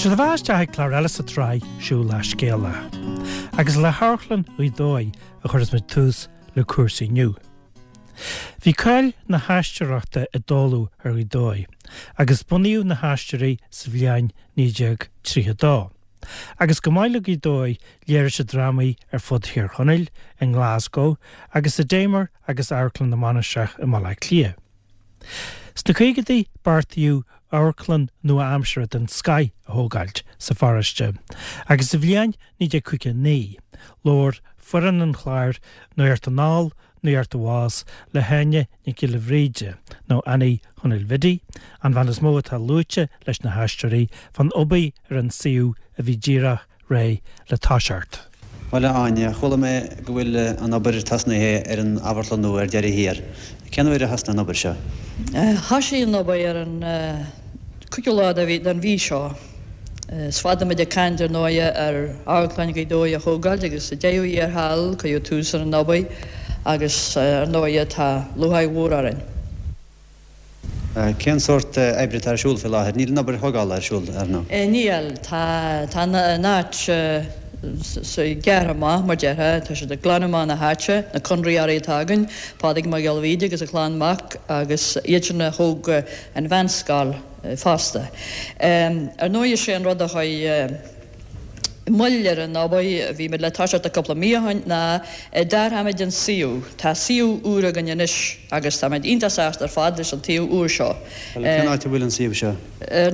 Seo daoibh isteach ag clár eile sa tsraith Siúl le Scéala. Agus le hAmharclann Ghaoth Dobhair a chuirfeas muid tús le cúrsaí inniu. Bhí cáil na haisteoireachta i dtólamh ar Ghaoth Dobhair agus bunaíodh na hAisteoirí sa bhliain 1932. Agus chomh maith le Gaoth Dobhair léirigh siad drámaí ar fud Thír Chonaill, i nGlasgow agus sa Damer agus Amharclann na Mainistreach i mBaile Átha Cliath. Sna caogaidí beartaíodh amharclann nua-aimseartha den scoith a thógáilt sa pharóiste agus sa bhliain 1959 labhair foireann an chláir Nuacht Anall, Nuacht Abhus le hÁine Nic Giolla Bhríde, nó Annie Chonaill Bhiddy, an bhean is mó atá luaite leis na hAisteoirí, fán obair ar an suíomh a bhí díreach réidh le toiseacht. Bhuel, a Áine, chuala mé go bhfuil an obair tosnaithe ar an amharclann nua ar deireadh thiar. Cén uair a thosnaigh an obair seo? Thosaigh an obair ar an cúigiú lá den mhí seo. Is fada muid ag caint, ar ndóighe, ar Amharclann Ghaoth Dobhair a thógáilt agus sa deireadh thiar thall cuireadh tús ar an obair agus, ar ndóighe, tá lúcháir mhór orainn. Cén sórt oibre atá ar siúl faoi láthair? Níl an obair thógála ar siúl, ar ndóigh. Níl. Tá tá an áit gearrtha amach, mar déarfá. Tá siad ag glanadh amach na háite, na conraitheoirí atá againn, Pádraig Mac Giolla Bhríde agus a chlann mac agus iad sin a thóg an mheánscoil fosta. Ar ndóigh is é an rud a chuir moill ar an obair, bhí muid le toiseacht cúpla mí ó shin, ná d'athraigh muid an suíomh. Tá suíomh úr againn anois agus tá muid iontach sásta ar fad leis an tsuíomh úr seo. Bhuel, cén áit a bhfuil an suíomh seo? Ar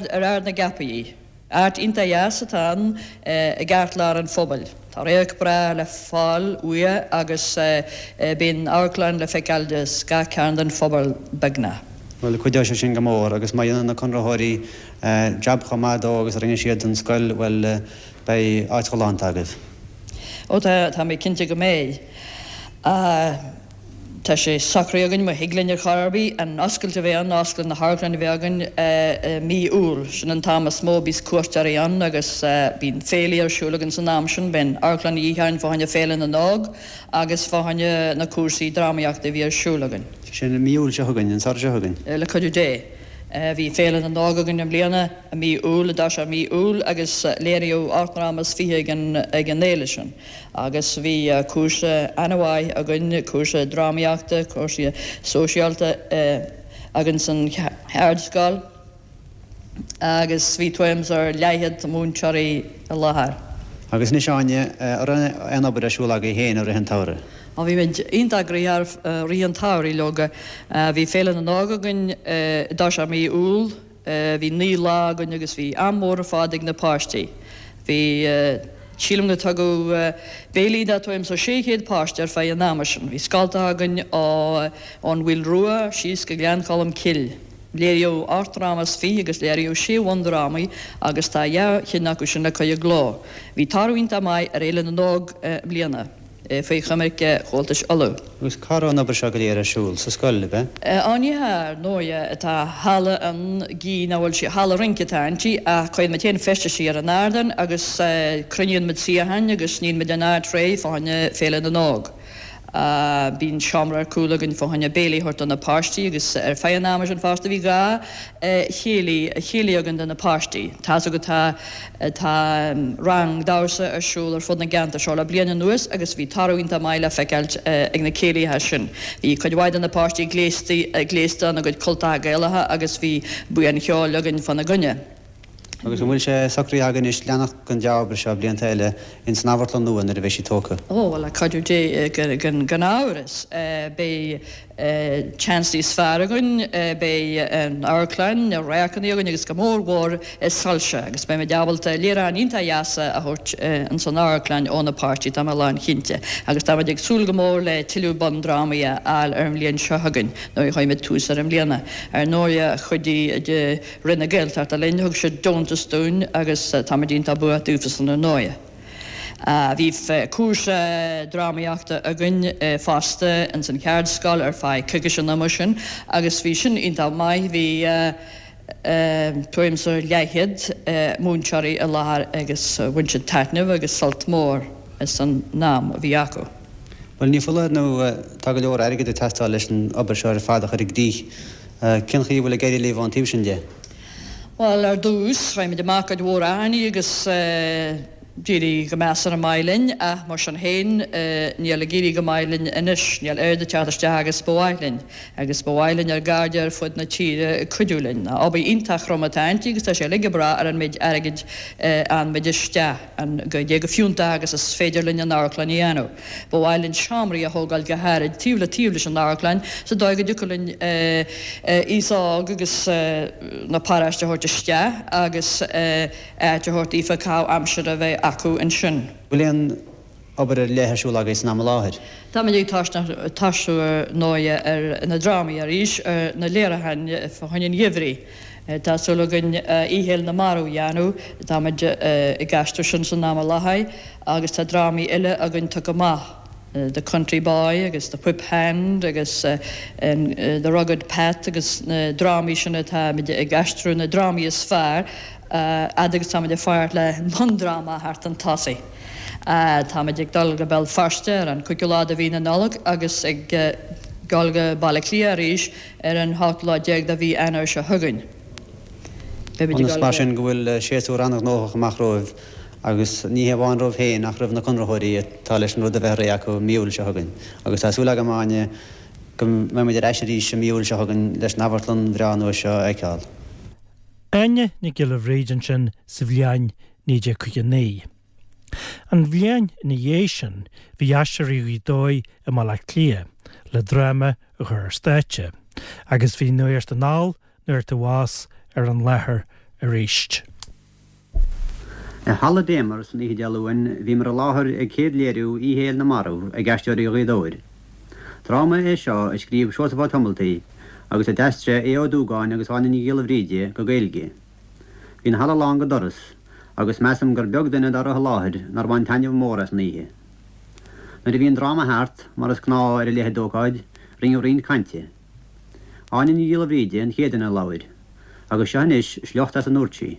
ar Ard na gCeapaí. Áit iontach dheas atá ann i gceartlár an phobail. Tá radharc breá le fáil uaidh agus bíonn an amharclann le feiceáil as gach cearn den phobal beagnach. Bhuel, cuideoidh sé sin go mór agus má dhéanann na conraitheoirí jab chomh maith dó agus a rinne siad don scoil, bhuel, beidh áit ghalánta agaibh. Ó tá, tá mé cinnte go mbeidh. Tá sé socraithe againn, má thig linn ar chor ar bith, an oscailt a bheith ann, oscailt na hamharclainne a bheith againn i mí Iúil. Sin an t-am is mó a bíos cuairteoirí ann agus bíonn féilí ar siúl againn san am sin. Bíonn amharclann de dhíth orainn fá choinne Féile na nÓg agus fá choinne na cúrsaí drámaíochta a bhí ar siúl againn. Sin i mí Iúil seo chugainn, an samhradh seo chugainn. Le cuidiú Dé. Bhí Féile na nÓg againn i mbliana i mí Iúil, i dtosach mí Iúil, agus léiríodh 28 ndráma ag an ag an fhéile sin. Agus bhí cúrsa an-mhaith againn, cúrsa drámaíochta, cúrsa sóisialta againn san cheardscoil agus bhí tuairim is ar leathchéad múinteoirí i láthair. Agus anois Áine, an raibh aon obair ar siúl agaibh féin i rith an tsamhraidh? Ó bhí muid iontach gnoitheach i rith an tsamhraidh leoga. Bhí Féile na nÓg againn i dtosach mí Iúil. Bhí 9 lá againn agus bhí am mór ar fad ag na páistí. Bhí, sílim go tugadh béilí do tuairim is 600 páiste ar feadh an ama sin. Bhí scoltacha againn ó ón Mhaoil Rua síos go Gleann Cholm Cille. Léiríodh 28 ndráma agus léiríodh sé bhundrámaí agus tá dhá chinn acu sin le cur i gcló. Bhí toradh iontach maith ar Fhéile na nÓg i mbliana. faoi choimirce Chomhaltais Uladh. Agus cá raibh an obair seo go léir ar siúl? Sa scoil, ab ea? Á ní hea, ar ndóighe. Tá halla ann, gidh nach bhfuil sí, halla rince atá inti, ach cuireann muid féin feistisí ar an ardán agus cruinníonn muid suíocháin agus níonn muid an áit réidh fá choinne Féile na nÓg. Bíonn seomra ar cúl againn fá choinne béilí a thabhairt do na páistí agus ar feadh an ama sin fosta bhí 2 chéilí, chéilí againn do na páistí. Tá's agat tá tá rang damhsa ar siúl ar fud na gceantar seo le bliain anuas agus bhí toradh iontach maith le feiceáilt ag na céilithe sin. Bhí cuid mhaith de na páistí gléasta gléasta ina gcuid cultacha Gaelacha agus bhí buíon cheoil againn fána gcoinne. Agus an bhfuil sé socraithe agaibh anois leanacht den dea-obair seo blianta eile ins an amharclann nua nuair a bheidh sí tógtha? Ó, bhuel, le cuidiú Dé, gan amhras, beidh seans níos fearr againn, beidh an amharclann, na radharcanna againn agus go mór mhór soilse agus beimid ábalta léiriúcháin iontach dheasa a thabhairt ins an amharclann ó na páistí, tá mé lánchinnte. Agus táimid ag súil go mór le tuilleadh bundrámaí a fháil ar an bhliain seo chugainn nuair a chuirfidh muid tús air i mbliana. Ar ndóighe, chuidigh Roinn na Gaeltachta linn, thug siad deontas dúinn agus táimid iontach buíoch daofasan ar ndóighe. Bhí cúrsa drámaíochta againn fosta ins an cheardscoil ar feadh coicíse an ama sin agus bhí sin iontach maith, bhí tuairim is leathchéad múinteoirí i láthair agus bhain siad taitneamh agus sult mór as an am a bhí acu. Bhuel, ní foláir nó tá go leor airgid ag teastáil leis an obair seo ar fad a chur i gcrích. Cén chaoi a bhfuil ag éirí libh ón taobh sin de? Bhuel, ar dtús, chuir muid amach cuid mhór achainí agus d'éirigh go measartha maith linn, ach mar sin féin, níl ag éirí go maith linn anois, níl oiread ag teacht isteach agus ba mhaith linn, agus ba mhaith linn ár gcairde ar fud na tíre cuidiú linn. Obair iontach throm atá inti agus tá sé uilig ag brath ar an méid airgid a fhaigheann muid isteach, an goidé go fiúntach agus is féidir linn an amharclann a dhéanamh. Ba mhaith linn seomraí a thógáil go háirid taobh le taobh leis an amharclann sa dóigh go dtiocfadh linn aos óg agus na paróiste a thabhairt isteach agus áit a thabhairt daofa caitheamh aimsire a bheith acu ansin. Bhfuil aon obair ar leith ar siúl agaibh san am i láthair? Táimid ag tosú ar ndóighe ar na drámaí arís, ar na léiriúcháin fá choinne an gheimhridh. Tá súil againn Oíche Fhéile na Marbh a dhéanamh, táimid ag aistriú sin san am i láthair agus tá drámaí eile againn tugtha amach, The Country Boy agus The Whip Hand agus The Rugged Pat agus na drámaí sin atáimid ag aistriú, na drámaí is fearr, fhad agus táimid ag fanacht le bundráma a theacht chun tosaigh. Táimid ag dul go Béal Feirste ar an cúigiú lá de mhí na Nollag agus ag dul go Baile Átha Cliath arís Ar an ochtú lá déag de mhí Eanáir seo chugainn, beimid ag dul Mar sin go bhfuil séasúr an-ghnóthach amach romhaibh agus ní hé amháin romhaibh féin ach roimh na conraitheoirí atá leis an rud a bheith réidh acu mí Iúil seo chugainn. Agus tá súil agam, a Áine, go mbeidh muid ar ais arís i mí Iúil seo chugainn leis an amharclann bhreá nua seo a fheiceáil. Áine Nic Giolla Bhríde ansin sa bhliain 1959. An bhliain ina dhiaidh sin bhí Aisteoirí Ghaoth Dobhair i mBaile Átha Cliath le dráma a chur ar stáitse agus bhí Nuacht Anall, Nuacht Abhus ar an láthair arís. I Halla Damer san oíche Dé Luain bhíomar i láthair ag céad léiriú Oíche Fhéile na Marbh ag Aisteoirí Ghaoth Dobhair. Dráma é seo a scríobh Seosamh Ó Tomaltaigh agus a d'aistrigh Aodh Ó Dúgáin agus Áine Ní Ghiolla Bhríde go Gaeilge. Bhí an halla lán go doras agus measaim gur beag duine dá raibh i láthair nár bhain taitneamh mór as an oíche. Nuair a bhí an dráma thart, mar is gnáth ar a leithéid d'ócáid, rinneadh roinnt cainte. Áine Ní Ghiolla Bhríde an chéad duine a labhair, agus seo anois sliocht as a ndúirt sí.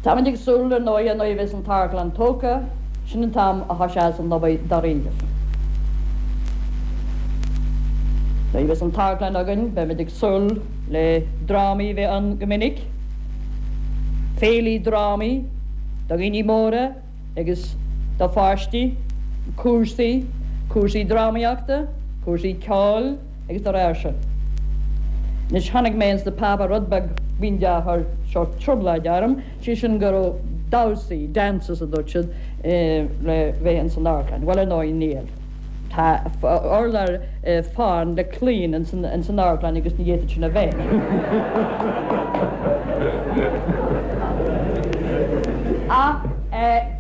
Táimid ag súil, ar ndóighe, nuair a bheas an t-amharclann tógtha, sin an t-am a thoiseos an obair dáiríribh. Nuair a bheas an t-amharclann againn, beimid ag súil le drámaí a bheith ann go minic, féilí drámaí do dhaoine móra agus do pháistí, cúrsaí, cúrsaí drámaíochta, cúrsaí ceoil agus dá réir sin. Anois chonaic mé ins na páipéir rud beag b'fhéidir a chuir sórt trioblóid orm, sé sin go raibh damhsaí, dances a dúirt siad, le bheith ins an amharclann. Bhuel ar ndóigh níl. Tá urlár fán le claíon ins an amharclann agus ní fhéadfadh sin a bheith. Ach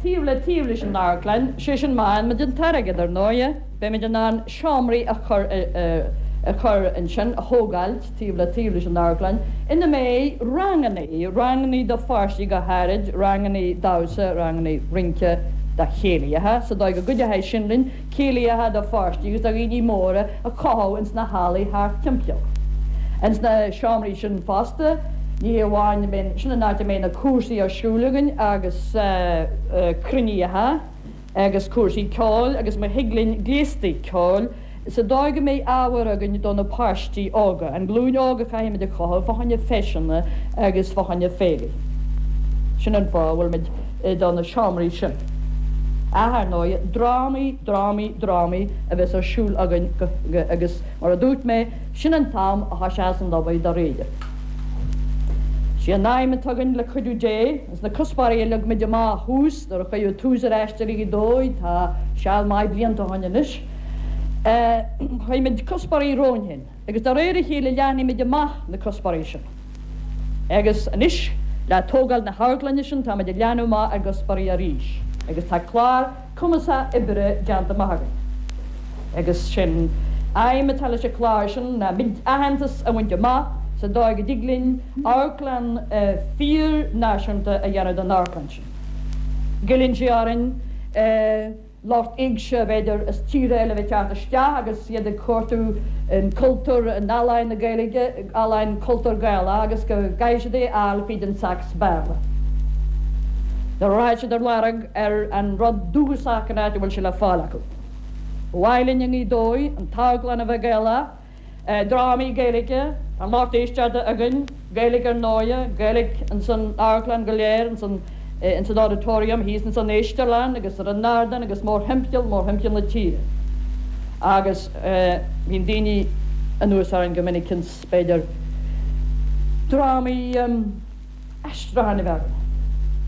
taobh le taobh leis an amharclann, sé sin má fhaigheann muid an t-airgead ar ndóighe, beimid in ann seomraí a chur a chur ansin, a thógáilt taobh le taobh leis an amharclann, ina mbeidh rangannaí, rangannaí do pháistí go háirid, rangannaí damhsa, rangannaí rince do chéilithe, sa dóigh go gcuideoidh sin linn céilithe do pháistí agus do dhaoine móra a chothú ins na hallaí thart timpeall. Ins na seomraí sin fosta, ní hé amháin, sin an áit a mbeidh na cúrsaí ar siúl againn agus cruinnithe, agus cúrsaí ceoil agus má thig linn gléastaí ceoil sa dóigh go mbeidh ábhar againn do na páistí óga, an ghlúin óg a chaithfimid a chothú fá choinne feiseanna agus fá choinne féilí. Sin an fáth a bhfuilimid do na seomraí sin. Ach ar ndóigh, drámaí, drámaí, drámaí a bheas ar siúl againn agus mar a dúirt mé, sin an t-am a thoiseos an obair dáiríre. Sé an aidhm atá againn le cuidiú Dé, Ins na cuspóirí a leag muid amach thuas nuair a cuireadh tús ar Aisteoirí Ghaoth Dobhair, tá seal maith blianta ó shoin anois, chuir muid cuspóirí romhainn féin agus de réir a chéile leathnaigh muid amach na cuspóirí sin. Agus anois le tógáil na hamharclainne sin tá muid ag leathnú amach ár gcuspóirí arís agus tá clár cumasach oibre déanta amach againn. Agus sé'n aidhm atá leis an chlár sin ná muid aitheantas a bhaint amach sa dóigh go dtig linn amharclann fíor-náisiúnta a dhéanamh den amharclann sin. Goilleann sé orainn lucht éigse, b'fhéidir, as tíortha eile a bheith ag teacht isteach agus iad ag cuartú an cultúr, an ealaín na Gaeilge, ealaín cultúr Gaelach agus go gcaithfidh siad é a fháil fríd an Sacs Béarla. Nuair a rachaidh siad ar lorg ar an rud dúchasach an áit a bhfuil sé le fáil acu. Ba mhaith linn i nGaoth Dobhair an t-amharclann a bheith Gaelach, drámaí Gaeilge, an lucht éisteachta againn. Gaeilge ar ndóighe, Gaeilge ins an amharclann go léir, ins an ins an auditorium, thíos ins an éistearlann agus ar an ardán agus mórthimpeall, mórthimpeall na tíre. Agus bíonn daoine anuas orainn go minic ins, b'fhéidir, drámaí, aistriúcháin a bheith againn.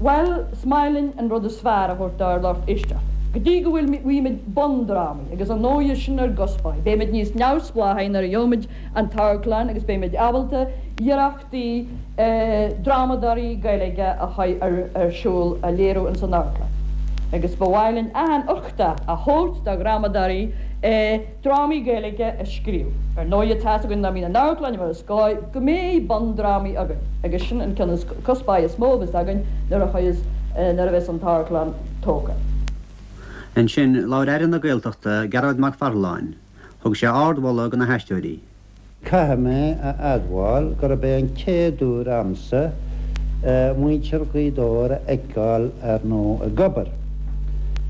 Bhuel, is maith linn an rud is fearr a thabhairt dár lucht éisteachta. Go dtí go bhfuil bhfaighimid bundrámaí, agus ar ndóighe sin ár gcuspóir, beimid níos neamhspleáchaí nuair a gheobhaimid an t-amharclann agus beimid ábalta iarrachtaí drámadóirí Gaeilge a chur ar siúl, a léiriú ins an amharclann. Agus ba mhaith linn achan uchtach a thabhairt do dhrámadóirí drámaí Gaeilge a scríobh. Ar ndóighe tá's againn dá mbíonn an amharclann mar is gá go mbeidh bundrámaí againn agus sin an ceann is cuspóir is mó a bheas againn nuair a chuireas nuair a bheas an t-amharclann tógtha. Ansin, labhair Aire na Gaeltachta, Gearóid Mac Pharthaláin. Thug sé ardmholadh do na haisteoirí. Caithfidh mé a admháil gurb é an chéad uair a'msa muintir Ghaoth Dobhair a fheiceáil ar ndóigh ag obair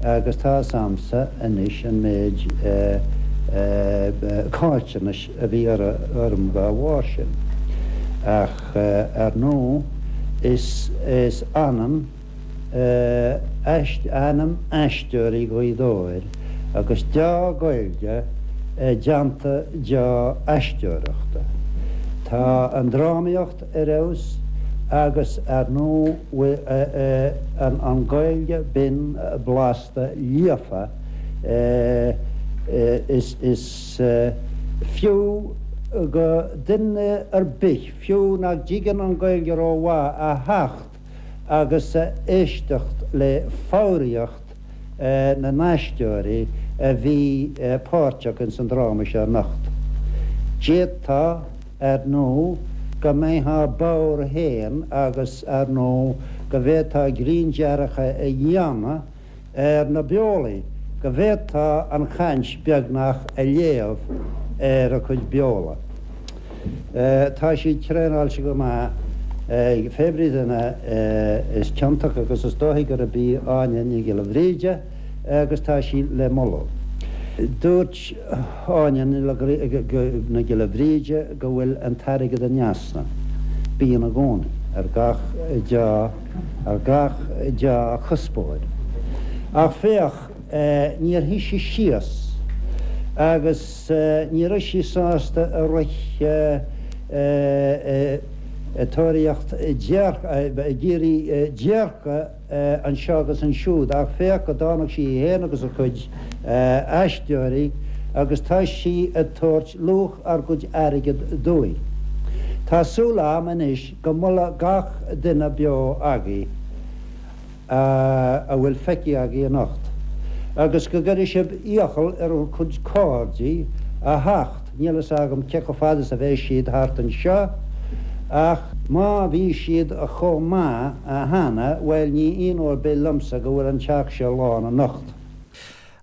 agus tá 'fhios a'msa anois an méid caillteanais a bhí orm dá bharr sin. Ach ar ndóigh is ionann ainm Aisteoirí Ghaoth Dobhair agus deá-Ghaeilge i dteannta deá-aisteoireachta. Tá an drámaíocht ar fheabhas agus ar ndóigh an Ghaeilge binn blasta líofa is fiú go duine ar bith, fiú nach dtuigeann an Ghaeilge rómhaith, a theacht agus a éisteacht le foghraíocht na n-aisteoirí a bhí páirteach ins an dráma seo anocht. D'fhéadfá, ar ndóigh, go mbeifeá bodhar féin agus, ar ndóigh, go bhféadfá grinndearcadh a dhéanamh ar na beolaí, go bhféadfá an chaint beagnach a léamh ar a cuid beola. Tá siad traenáilte go maith ag pé brí duine is ciontach agus is dóichí gurb í Áine Ní Ghiolla Bhríde agus tá sí le moladh. Dúirt Áine Ní Ghiolla Bhríde go bhfuil an t-airgead in easnamh. Bíonn i gcónaí, ar gach deá. ar gach dea-chuspóir. Ach féach, níor shuigh sí síos agus ní raibh sí sásta a rith ag tóraíocht ag iarraidh déirce anseo agus ansiúd ach féach go dtáinig sí í féin agus a cuid aisteoirí agus tá sí ag tabhairt luach ár gcuid airgid dúinn. Tá súil a'm anois Go mola gach duine beo agaibh a bhfuil feicthe agaibh anocht, agus go gcuirfidh sibh iachall ar bhur gcuid cairde a theacht, níl fhios agam cé chomh fada is a bheidh siad thart anseo, ach má bhí siad chomh maith cheana, bhuel ní ionadh ar bith liomsa go bhfuil an teach seo lán anocht.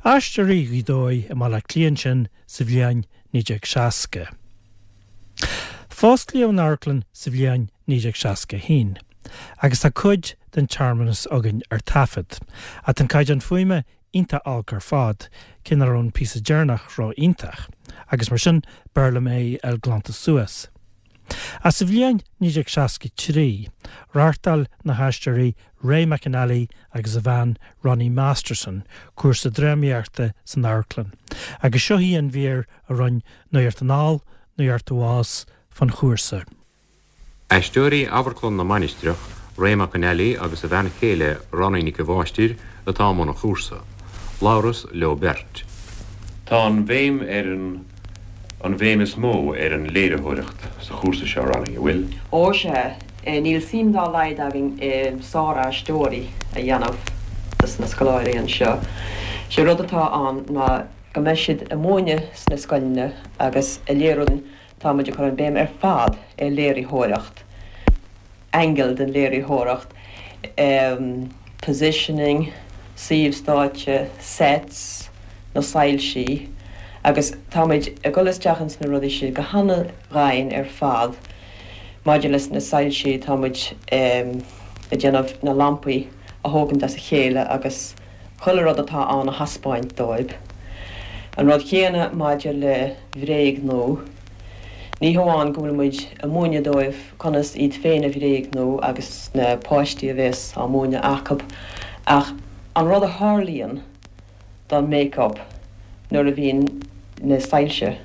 Aisteoirí Ghaoth Dobhair i mBaile Átha Cliath ansin sa bhliain 1960. Fosclaíodh an amharclann sa bhliain 1961 agus tá cuid den tsearmanas againn ar taifead. Ach tá an caighdeán fuaime iontach olc ar fad, cé nach raibh an píosa deireanach ró-iontach, agus mar sin b'fhearr liom é a fháil glanta suas. Ach sa bhliain 1963, reáchtáil na haisteoirí Ray McAnally agus a bhean Ronnie Masterson cúrsa drámaíochta san amharclann, agus seo í an mhír a rinne Nuacht Anall, Nuacht Abhus fán chúrsa. Aisteoirí Amharclann na Mainistreach, Ray McAnally agus a bhean chéile Ronnie Nic a' Mháistir atá i mbun an chúrsa. Labhras leo beirt. Tá an bhéim ar an an bhéim is mó ar an léiritheoireacht sa chúrsa seo, Ronnie, an bhfuil? Ó sea, níl suim dá laghad againn i sár-aisteoirí a dhéanamh dos na scoláirí anseo. Sé rud atá ann ná go mbeidh siad ag múineadh sna scoileanna agus ag léiriú, tá muid ag cur an béim ar fad ar léiritheoireacht, angle den léiritheoireacht, positioning, suíomh stáitse, sets, na soilsí agus tá muid ag dul isteach ins na rudaí sin go hana-dhoimhin ar fad. Maidir leis na soilsí, tá muid ag déanamh na lampaí a thógaint as a chéile agus chuile rud atá ann a thaispeáint dóibh. An rud chéanna maidir le bréagnú. Ní hamháin go bhfuil muid ag múineadh dóibh conas iad féin a bhréagnú agus na páistí a bhéas á múineadh acub, ach an rud a tharlaíonn don make-up nuair a bhíonn na soilse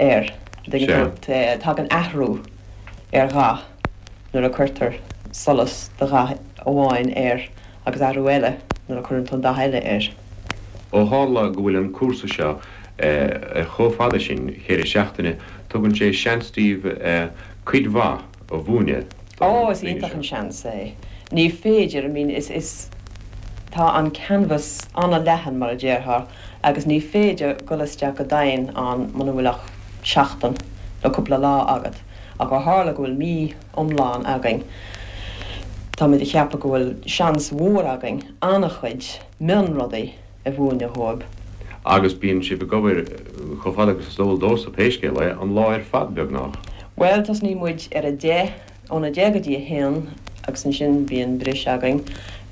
air, an dtuigeann tú, tagann athrú ar dhath nuair a cuirtear solas de dhath amháin air agus athrú eile nuair a cuireann tú an dath eile air. Ó tharla go bhfuil an cúrsa seo chomh fada sin, cheithre seachtaine, tugann sé seans daoibh cuid mhaith a mhúineadh do na Ó, is daoine iontach seo. an seans é. Ní féidir, I mean, is, is, tá an canvas an-leathan, mar a déarfá, agus ní féidir dul isteach go domhain ann muna bhfuil ach seachtain nó cúpla lá agat. Ach ó tharla go bhfuil mí iomlán againn, táimid ag ceapadh go bhfuil seans mhór againn an-chuid mionrudaí a mhúineadh dhóibh. Agus bíonn sibh ag obair chomh fada agus is eol domhsa, pé scéal é, an lá ar fad, beagnach. Bhuel, tosnaíonn muid ar a deich, óna deich go dtí a haon agus ansin bíonn briseadh againn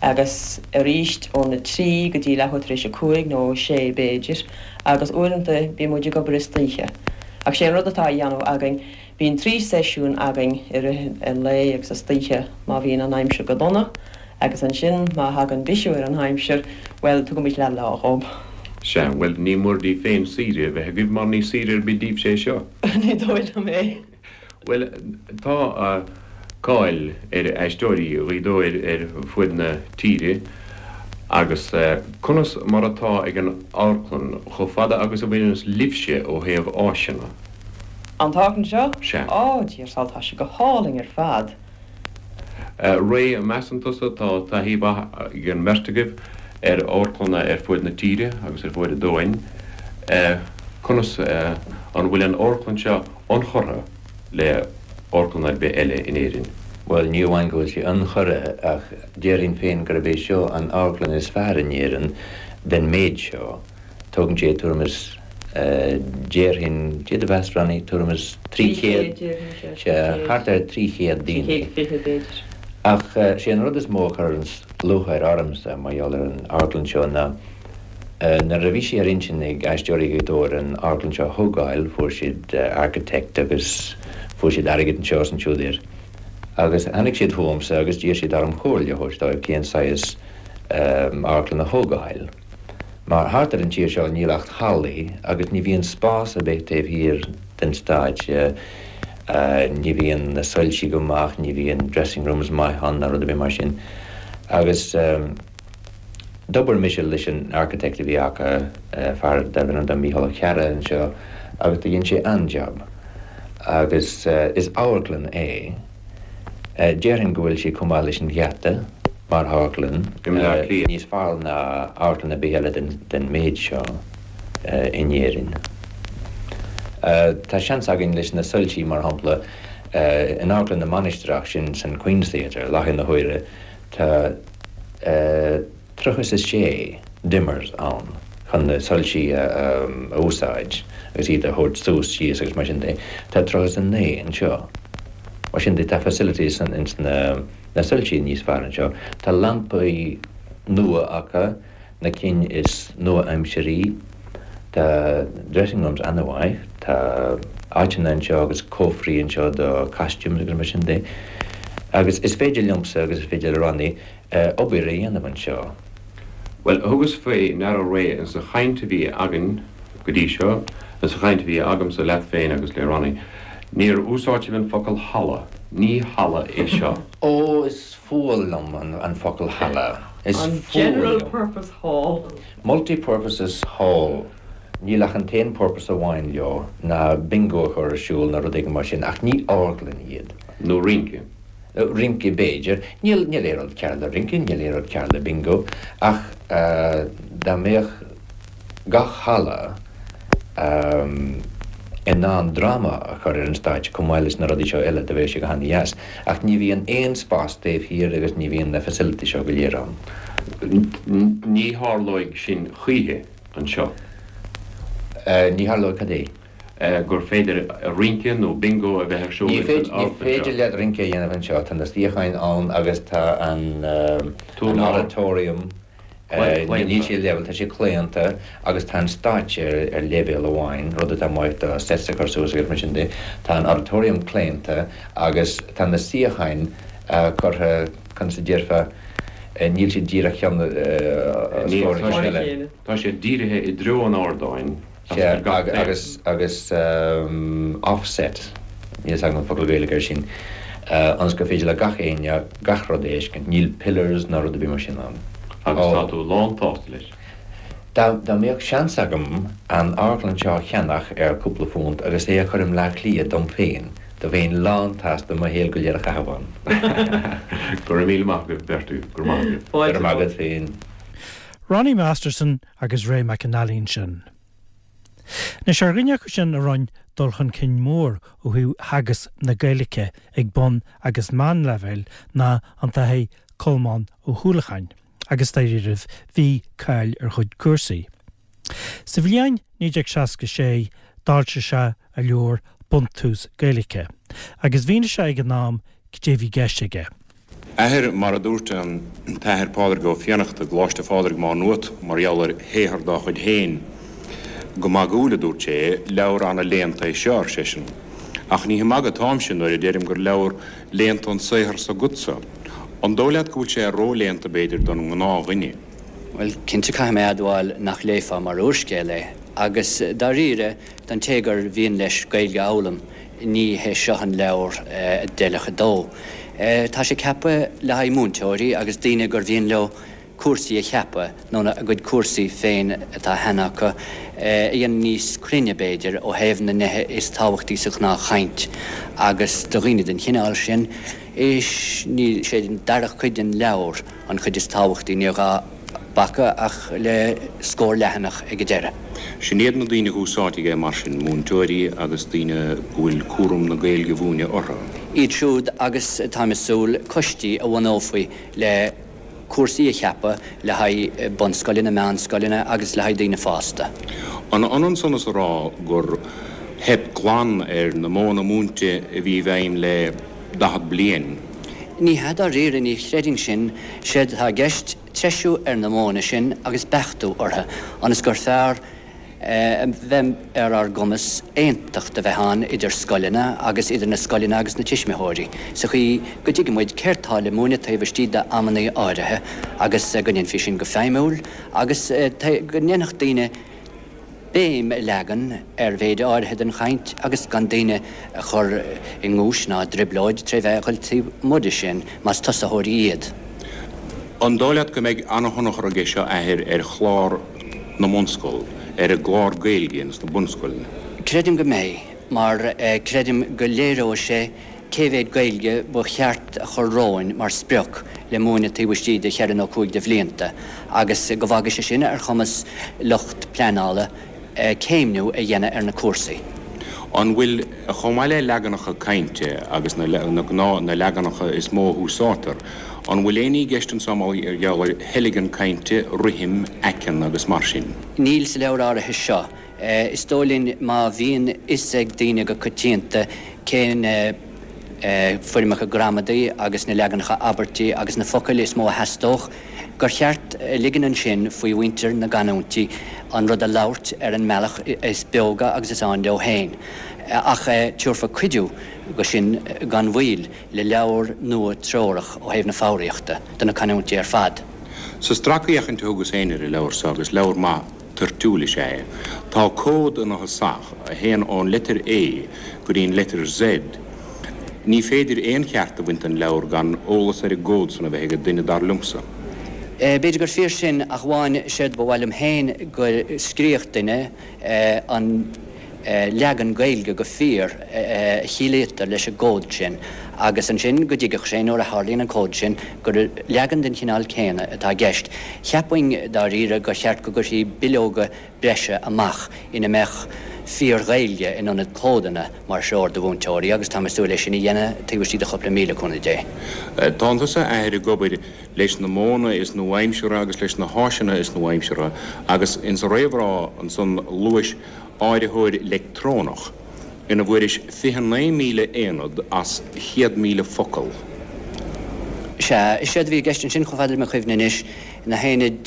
agus aríst óna trí go dtí leathuair tar éis a cúig nó a sé b'fhéidir agus uaireanta bíonn muid ag obair istoíche. Ach sé an rud atá á dhéanamh againn, bíonn trí seisiún againn i rith an lae agus istoíche má bhíonn an aimsir go dona Agus ansin, má thagann bisiú ar an aimsir, bhuel, tugaimid leath lá dhób. Sea, bhuel, ní mór daoibh féin saoire a bheith agaibh mar ní saoire ar bith daoibhse é seo. Ní dóigh liom é. Bhuel, tá cáil ar Aisteoirí Ghaoth Dobhair ar fuaid na tíre agus conas mar atá ag an amharclann chomh fada agus a bhaineanns libhse ó thaobh áiseanna? An t-amharclann seo? Sea. Á, Dia ár sábháil, tá sé go hálainn ar fad. Ray, measann tusa, tá taithí mhaith ag an mbeirt agaibh ar amharclanna ar fuaid na tíre agus ar fuaid an domhain. Conas, an bhfuil an amharclann seo ionchurtha le amharclann ar bith eile in Éirinn? Bhuel, ní amháin go bhfuil sí ionchurtha ach déarfainn féin gurb é seo an amharclann is fearr in Éirinn den méid seo. Tógann sé tuairim is, déarfainn, cad é do mheas Ronnie, tuairim is 300, sea, thart ar 300 daoine. 320 b'fhéidir. Ach sé an rud is mó a chuireanns lúcháir ormsa mar gheall ar an amharclann seo ná nuair a bhí sé ar intinn ag Aisteoirí Ghaoth Dobhair an amharclann seo a thógáil, fuair siad architect agus fuair siad airgead anseo is ansiúd air agus tháinig siad chugamsa agus d'iarr siad orm comhairle a thabhairt dóibh cén saghas amharclann a thógáil. Mar thart ar an tír seo níl ach hallaí agus ní bhíonn spás ar bith taobh thiar den stáitse, ní bhíonn na soilsí go maith, ní bhíonn dressing rooms maith ann ná rud ar bith mar sin. Agus d'obair mise leis an architect a bhí acu, fear darbh ainm dó Mícheál Ó Cearra anseo agus do dhein sé an-jab. Agus is amharclann é. Déarfainn go bhfuil sé chomh maith leis an Gheata mar amharclann, níos fearr ná amharclann ar bith eile den méid seo in Éirinn. Tá seans againn leis na soilsí, mar shampla, in Amharclann na Mainistreach, sin san Queen's Theatre, i láthair na huaire, tá. 36 dimmers ann chun na soilsí a úsáid agus iad a thabhairt suas, síos agus mar sin de. Tá 39 anseo. Mar sin de tá facilities ins na soilsí níos fearr anseo. Tá lampaí nua acu, na cinn is nua-aimsirí. Tá dressing rooms ana-mhaith. Tá áiteanna anseo agus cófraí anseo do costumes agus mar sin de. Agus is féidir liomsa agus is féidir le Ronnie obair a dhéanamh anseo. Bhuel, thugas faoi ndeara Ray insa chaint a bhí againn go dtí seo, insa chaint a bhí agamsa leat féin agus le Ronnie, níor úsáid sibh an focal halla. Ní halla é seo. Ó, is fuath liom an focal halla. Is An fuath General liom. Purpose Hall. Multi-purposes hall. Níl ach an t-aon purpose amháin leo ná bingo a chur ar siúl nó rud éigin mar sin, ach ní amharclann iad. Nó rince. Rince b'fhéidir. Níl, níl aon rud cearr le rince, níl aon rud cearr le bingo, ach dá mbeadh gach halla in ann dráma a chur ar an stáitse chomh maith leis na rudaí seo eile, do bheadh sé go han-dheas. Ach ní bhíonn aon spás taobh thiar agus ní bhíonn na facilities seo go léir ann. Ní tharlóidh sin choíche anseo. Ní tharlóidh cad é? gur féidir rince nó bingo a bheith ar siúl Ní ins an féidir, ní amharclann féidir seo. leat rince a dhéanamh anseo. Tá na suíocháin ann agus tá an, an Urlár. auditorium. Níl sé level, tá sé claonta agus tá an stáitse ar leibhéal amháin, rud atá maith do sets a chur suas agus mar sin de. Tá an auditorium claonta agus tá na suíocháin curtha, conas a déarfá, níl siad díreach ceann os comhair a chéile. Tá siad dírithe i dtreo an ardáin agus ar gach taobh. Agus, agus offset, níl 'fhios agam an focal Gaeilge air sin, ionas gur féidir le gach éinne gach rud a fheiscint. Níl pillars ná rud ar bith mar sin ann. Agus tá tú lán-tsásta leis? Dá mbeadh seans agam an amharclann seo a cheannach ar cúpla phunt agus é a chur i mBleá Cliath dom féin, do bheinn lán-tsásta mo shaol go léir a chaitheamh ann. Go raibh míle maith agaibh beirt agaibh. Go raibh maith agaibh. Go raibh maith agat féin. Ronnie Masterson agus Ray McAnally ansin. Anois ar dhuine acu sin a rinne dul chun cinn mór ó thaobh theagasc na Gaeilge ag bun agus meánleibhéil ná an tAthair Colmán Ó hUallacháin agus dáiríribh bhí cáil ar chuid cúrsaí. Sa bhliain 1966 d'fhoilsigh sé a leabhar Buntús Gaeilge agus mhínigh sé ag an am cad é a bhí i gceist aige. Athair, mar a dúirt an tAthair Pádraig Ó Fiannachta i gColáiste Phádraig Má Nuat mar gheall ar shaothar dá chuid féin. Go magúil a dúirt sé, leabhar ana-léannta é seo, ar seisean. Ach ní ag magadh atáimse nuair a deirim gur leabhar léannta an saothar s'agatsa. An dóigh leat go bhfuil sé ró-léannta b'fhéidir don ngnáthdhuine? Bhuel, cinnte caithfidh mé a admháil nach léifeá mar úrscéal é. Agus dáiríre, don té gur mhian leis Gaeilge a fhoghlaim, ní hé seo an leabhar a d'fheilfeadh dó. Tá sé ceaptha le haghaidh múinteoirí agus daoine gur mhian leo cúrsaí a cheapadh, nó a gcuid cúrsaí féin atá cheana acu, a dhéanamh níos cruinne, b'fhéidir, ó thaobh na nithe is tábhachtaí sa ghnáthchaint. Agus do dhaoine den chineál sin, is é an dara cuid den leabhar an chuid is tábhachtaí, níor ghá bacadh ach le scór leathanach ag an deireadh. Sin iad na daoine a húsáidfidh é mar sin, múinteoirí agus daoine go bhfuil cúram na Gaeilge a mhúineadh orthu. Iad siúd agus, táim ag súil, coistí a bhunófaí le cúrsaí a cheapadh le haghaidh bunscoileanna, meánscoileanna agus le haghaidh daoine fásta. An ionann san is a rá gur theip glan ar na modhanna múinte a bhí i bhfeidhm le 40 bliain? Ní hea dáiríre, ní chreidfinn sin. Séard atá i gceist, treisiú ar na modhanna sin agus beachtú orthu, ionas gur fearr a bheidh ar ár gcumas aontacht a bheith ann idir scoileanna agus idir na scoileanna agus na tuismitheoirí, sa chaoi go dtuigfidh muid céard tá le múineadh taobh istigh d'amannaí áirithe agus go ndéanfaí sin go feidhmiúil agus go ndéanfadh daoine béim a leagan ar mhéid áirithe den chaint agus gan daoine a chur i nguais ná i dtrioblóid tré bheith a dhul taobh amuigh de sin más tosaitheoirí iad. An dóigh leat go mbeidh an-thionchar aige seo, Athair, ar chlár na mbunscol, ar an gclár Gaeilge ins na bunscoileanna? Creidim go mbeidh, mar creidim go léireoidh sé cé mhéad Gaeilge ba cheart a chur romhainn mar sprioc le múineadh taobh istigh de cheithre nó cúig de bhlianta agus go bhfágfaidh sé sin ar chumas lucht pleanála céimniú a dhéanamh ar na cúrsaí. An bhfuil, chomh maith le leaganacha cainte agus na gnáth, na leaganacha is mó a húsáidtear, an bhfuil aon ní i gceist anso mar gheall ar theilgean cainte, rithim, aiceann agus mar sin? Níl sa leabhar áirithe seo. Is dóigh linn má bhíonn fhios ag daoine go coitianta cé na foirmeacha gramadaí agus na leaganacha abairtí agus na focail is mó a theastódh, gur cheart a ligean ansin faoi mhuintir na gcanúintí an rud a labhairt ar an mbealach is beoga agus is áin leo féin. Ach tabharfar cuidiú go sin gan mhoill le leabhar nua treorach ó thaobh na foghraíochta do na canúintí ar fad. Sa stracfhéachaint a thugas féin ar an leabhar so, agus leabhar maith toirtiúil is ea é. Tá cód ina thosach, a théann ón leitir A go dtí an leitir Z. Ní féidir aon cheart a bhaint den leabhar gan eolas ar an gcód san a bheith ag duine, dar liomsa. B'fhéidir gur fíor sin, ach amháin séard ba mhaith liom féin go scríobhadh duine an leagan Gaeilge go fíor a chiallaítear leis an gcód sin agus ansin go dtuigfeadh sé nuair a tharlaíonn an cód sin gur leagan den chineál céanna atá i gceist. Cheapfainn dáiríre gur cheart go gcuirfí bileoga breise amach ina mbeadh fíor-Ghaeilge in ionad códanna mar threoir do mhúinteoirí agus táim ag súil é sin a dhéanamh taobh istigh de chúpla mí le cúnamh Dé. Tánn tusa, a Athair, ag obair leis na modhanna is nua-aimseartha agus leis na háiseanna is nua-aimseartha agus insa réamhrá ansan luais áiritheoir leictreonach ina bhfuairis 29,000 aonad as 100,000 focal. Sea, is éard a bhí i gceist ansin, chomh fada le mo chuimhne anois, na haonaid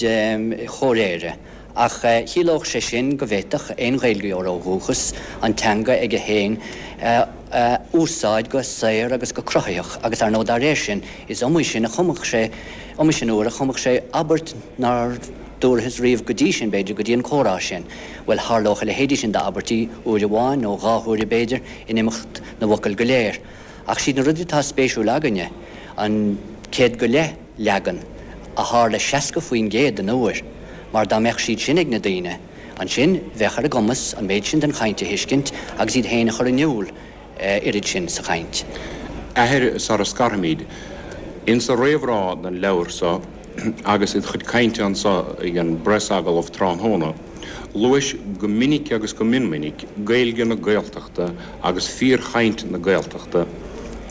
chomhréire. Ach chiallódh sé sin go bhféadfadh aon Ghaeilgeoir ó dhúchas an teanga aige féin a úsáid go saor agus go cruthaitheach agus, ar ndóigh, dá réir sin, is iomaí sin a chumfadh sé, iomaí sin uair a chumfadh sé abairt nár dúrathas riamh go dtí sin, b'fhéidir, go dtí an comhrá sin. Bhuel, tharlódh a leithéidí sin d'abairtí uair amháin nó dhá huaire, b'fhéidir, in imeacht na bhfocal go léir. Ach siad na rudaí atá spéisiúil againne, an céad go leith leagan a tharla 60% den uair, mar dá mbeadh siad sin ag na daoine, ansin bheadh ar a gcumas an méid sin den chaint a thuiscint agus iad féin a chur in iúl oiread sin sa chaint. Athair, sara scarfaimid, insa réamhrá don leabhar so agus id chuid cainte anso ag an bpreasagallamh tráthnóna, luais go minic agus go mion minic Gaeilge na Gaeltachta agus fíorchaint na Gaeltachta.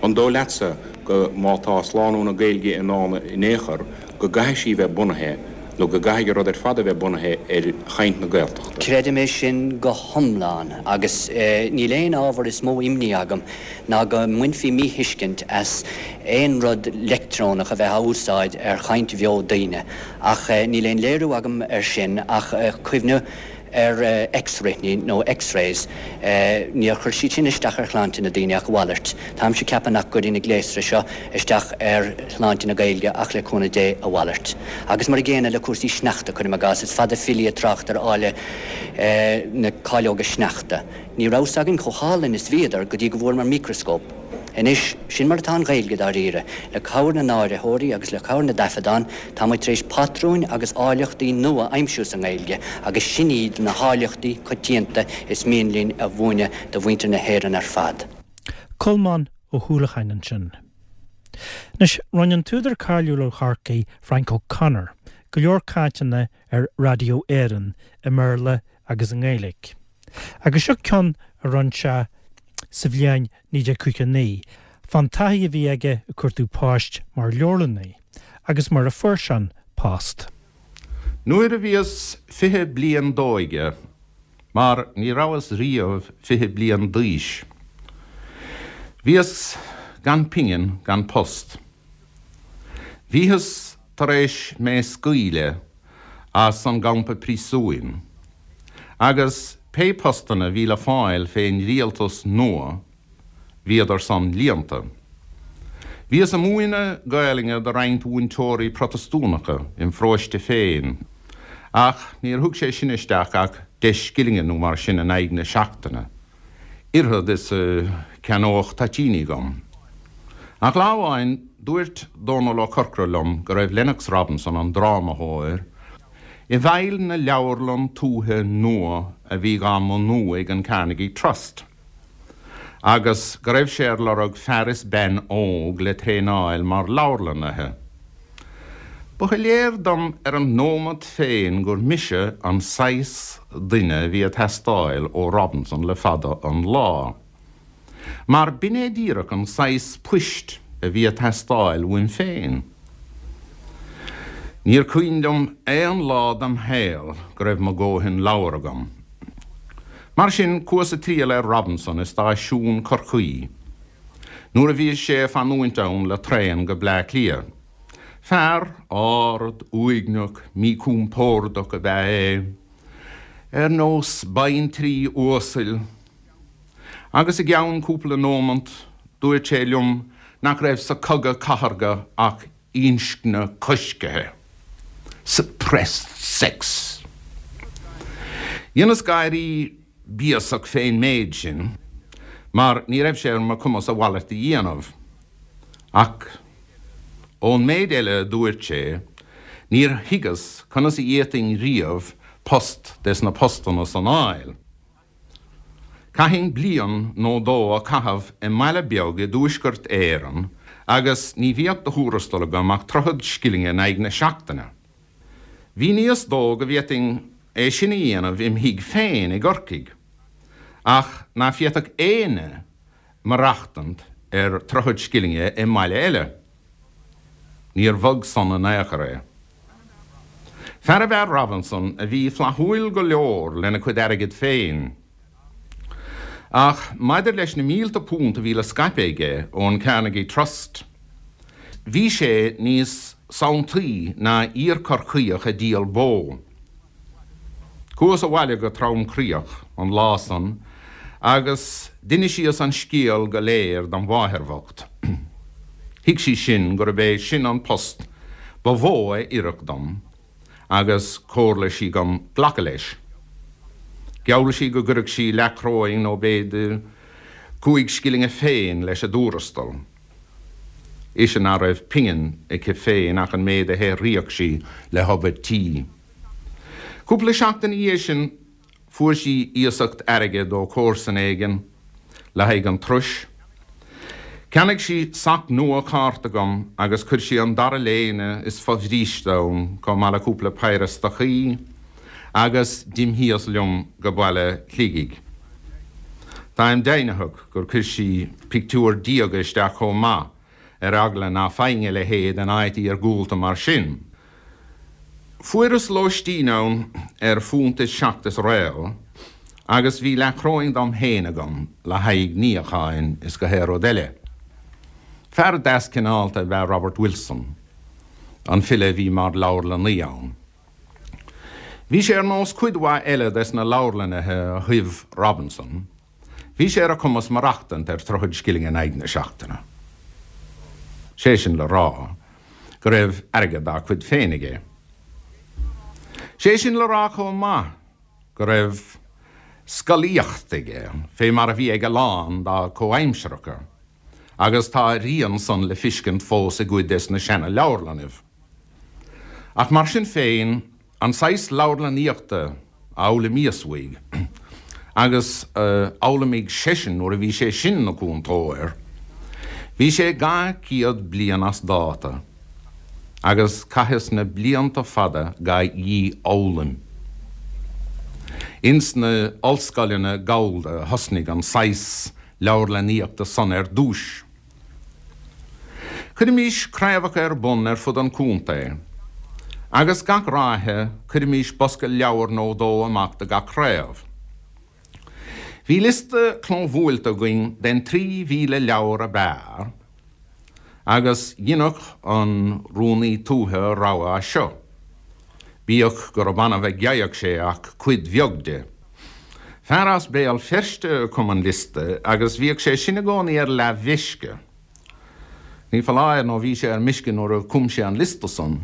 An dóigh leatsa go má tá slánú na Gaeilge i ndán in aon chor, go gcaithfidh sí bheith bunaithe, nó go gcaithfidh an rud ar fad a bheith bunaithe ar chaint na Gaeltachta? Creidim é sin go hiomlán agus níl aon ábhar is mó imní agam ná go mbainfí míthuiscint as aon rud leictreonach a bheith á úsáid ar chaint bheo daoine. Ach níl aon léiriú agam air sin ach cuimhneamh ar X-ruathnaí nó X-rays, níor chuir siad sin isteach ar shláinte na daoine ach a mhalairt. Táimse ag ceapadh nach gcuirfidh na gléasra seo isteach ar shláinte na Gaeilge ach le cúnamh Dé a mhalairt. Agus mar a gcéanna le cúrsaí sneachta, cuirim i gcás, is fada filí ag trácht ar áille na cáileoga sneachta. Ní raibh 's againn chomh hálainn is bhíodar go dtí go bhfuaireamar micreascóp. Anois, sin mar atá an Ghaeilge, dáiríre. Le cabhair na n-áiritheoirí agus le cabhair na dtaifeadán, tá muid tar éis patrúin agus áilleachtaí nua a aimsiú sa nGaeilge agus sin iad na háilleachtaí coitianta is mian linn a mhúineadh do mhuintir na hÉireann ar fad. Colmán Ó hUallacháin ansin. Anois, rinne an t-údar cáiliúil ó Chorcaigh, Frank O'Connor, go leor cainteanna ar Raidió Éireann i mBéarla agus i nGaeilge. Agus seo ceann a rinne sé sa bhliain 1959, fán taithí a bhí aige ag cuartú poist mar leabharlannaí agus mar a fuair sé an post. Nuair a bhíos 20 bliain d'óige, mar ní rabhas riamh 20 bliain d'aois, bhíos gan pingin gan post. Bhíothas tar éis mé scaoileadh as an gcampa príosúin agus pé postanna bhí le fáil fén rialtas nua bhíodar san líonta. Bhíos a múineadh Gaelainne do roinnt mhúinteoirí Protastúnacha im pharóiste féin ach níor thug sé sin isteach ach deich scillinge nó mar sin in aghaidh na seachtaine. Oiread is a cheannódh toitíní dhom. Ach lá amháin dúirt Dónal Ó Corcora liom go raibh Lennox Robinson, an drámathóir, i bhfeighil na leabharlann tuaithe nua a bhí dhá mbunú ag an Carnegie Trust agus go raibh sé ar lorg fear is bean óg le traenáil mar leabharlannaithe. Ba shoiléir dom ar an nóimeat féin gur mise an saghas duine a bhí ag teastáil ó Robinson le fada an lá. Mar b'in é díreach an saghas poist a bhí ag teastáil uaim féin. Níor cuimhin liom aon lá dem shaol go raibh mo dhóthain leabhar agam. Mar sin, chuas ag triall ar Robinson i stáisiún Chorcaí. Nuair a bhí sé ag fanúint ann le traen go Bleá Cliath. Fear ard, uaigneach, míchompordach ab ea é, ar nós baintrí uasail, agus i gceann cúpla nómant dúirt sé liom nach raibh sa chogadh cathartha ach inscne coiscthe, suppressed sex. Dheineas gáirí béasach fén méid sin, mar ní raibh sé ar mo chumas a mhalairt a dhéanamh. Ach ón méid eile a dúirt sé, níor thuigeas conas a d'fhéadfainn riamh post des na postanna san fháil. Chaithfinn bliain nó dó a chaitheamh i mbaile beag i dTuaisceart Éireann agus ní bheadh de thuarastal agam ach troichead scillinge in aghaidh na seachtaine. Mhíníos dó go bhféadfainn é sin a dhéanamh im thigh féin i gCorcaigh, ach ná féadfadh éinne maireachtaint ar troichead scillinge i mbaile eile. Níor bhog san in aon chor é. Fear ab ea Robinson a bhí flaithiúil go leor lena chuid airgid féin. Ach maidir leis na mílte punt a bhí le scaipeadh aige ón Carnegie Trust. bhí sé níos sanntaí ná iar-Chorcaíoch ag díol bó. Chuas abhaile go trom-chroíoch an lá san agus d'inisíos an scéal go léir dom mháthair bhocht. Thuig sí sin gurb é sin an post ba mhó a oirfeadh dom agus chomhairligh sí dhom glacadh leis. Gheall sí go gcuirfeadh sí leathchoróin nó b'fhéidir chúig scillinge féin leis an dtuarastal. Ise ná raibh pingin aici féin ach an méid a shaothraíodh sí le hobair tí. Cúpla seachtain ina dhiaidh sin fuair sí iasacht airgid ó chomharsan éigin le haghaidh an turais. Cheannaigh sí sac nua cárta dhom agus chuir sí an dara léine is fo-bhríste ann chomh maith le cúpla péire stocaí agus d'imthíos liom go baile Shligigh. Táim deimhnitheach gur chuir sí pictiúr diaga isteach chomh maith ar eagla ná faighinn a leithéid in áit iargúlta mar sin. Fuaireas lóistín ann ar phunt is seacht is réal agus bhí leathchoróin dom féin agam le haghaidh níocháin is gach aon rud eile. Fear deas cineálta ab ea Robert Wilson, an file a bhí mar leabharlannaí ann. Bhí sé ar nós cuid mhaith eile des na leabharlannaithe a thoibh Robinson, Bhí sé ar a chumas maireachtaint ar throichead scilling in aghaidh na seachtaine. Sé sin le rá go raibh airgead dá chuid féin aige. Sé sin le rá chomh maith go raibh scolaíocht aige, fé mar a bhí ag a lán dá chomhaimsearacha, agus tá a rian san le fiscint fós i gcuid des na seana-leabharlannaibh. Ach mar sin féin, An saghas leabharlannaíochta a fhoghlaimíos uaidh, agus a d'fhoghlaimigh seisean nuair a bhí sé sin 'na chúntóir, bhí sé 200 bliain as dáta, agus chaitheas na blianta fada ga dhífhoghlaim. Ins na ollscoileanna gallda a thosnaigh an saghas leabharlannaíochta san ar dtúis. Cuirimís craobhacha ar bun ar fud an chontae, agus gach ráithe cuirimís bosca leabhar nó dó amach do gach craobh. Bhí liosta clóbhuailte againn den 3,000 leabhar ab fhearr, agus dheineadh an Rúnaí Tuaithe a rogha as seo, bíodh gurb annamh a gheibheadh sé ach cuid bheag de. Fear as Béal Feirste a chum an liosta agus bhíodh sé sin i gcónaí ar leathmheisce. Ní foláir nó bhí sé ar meisce nuair a chum sé an liosta san.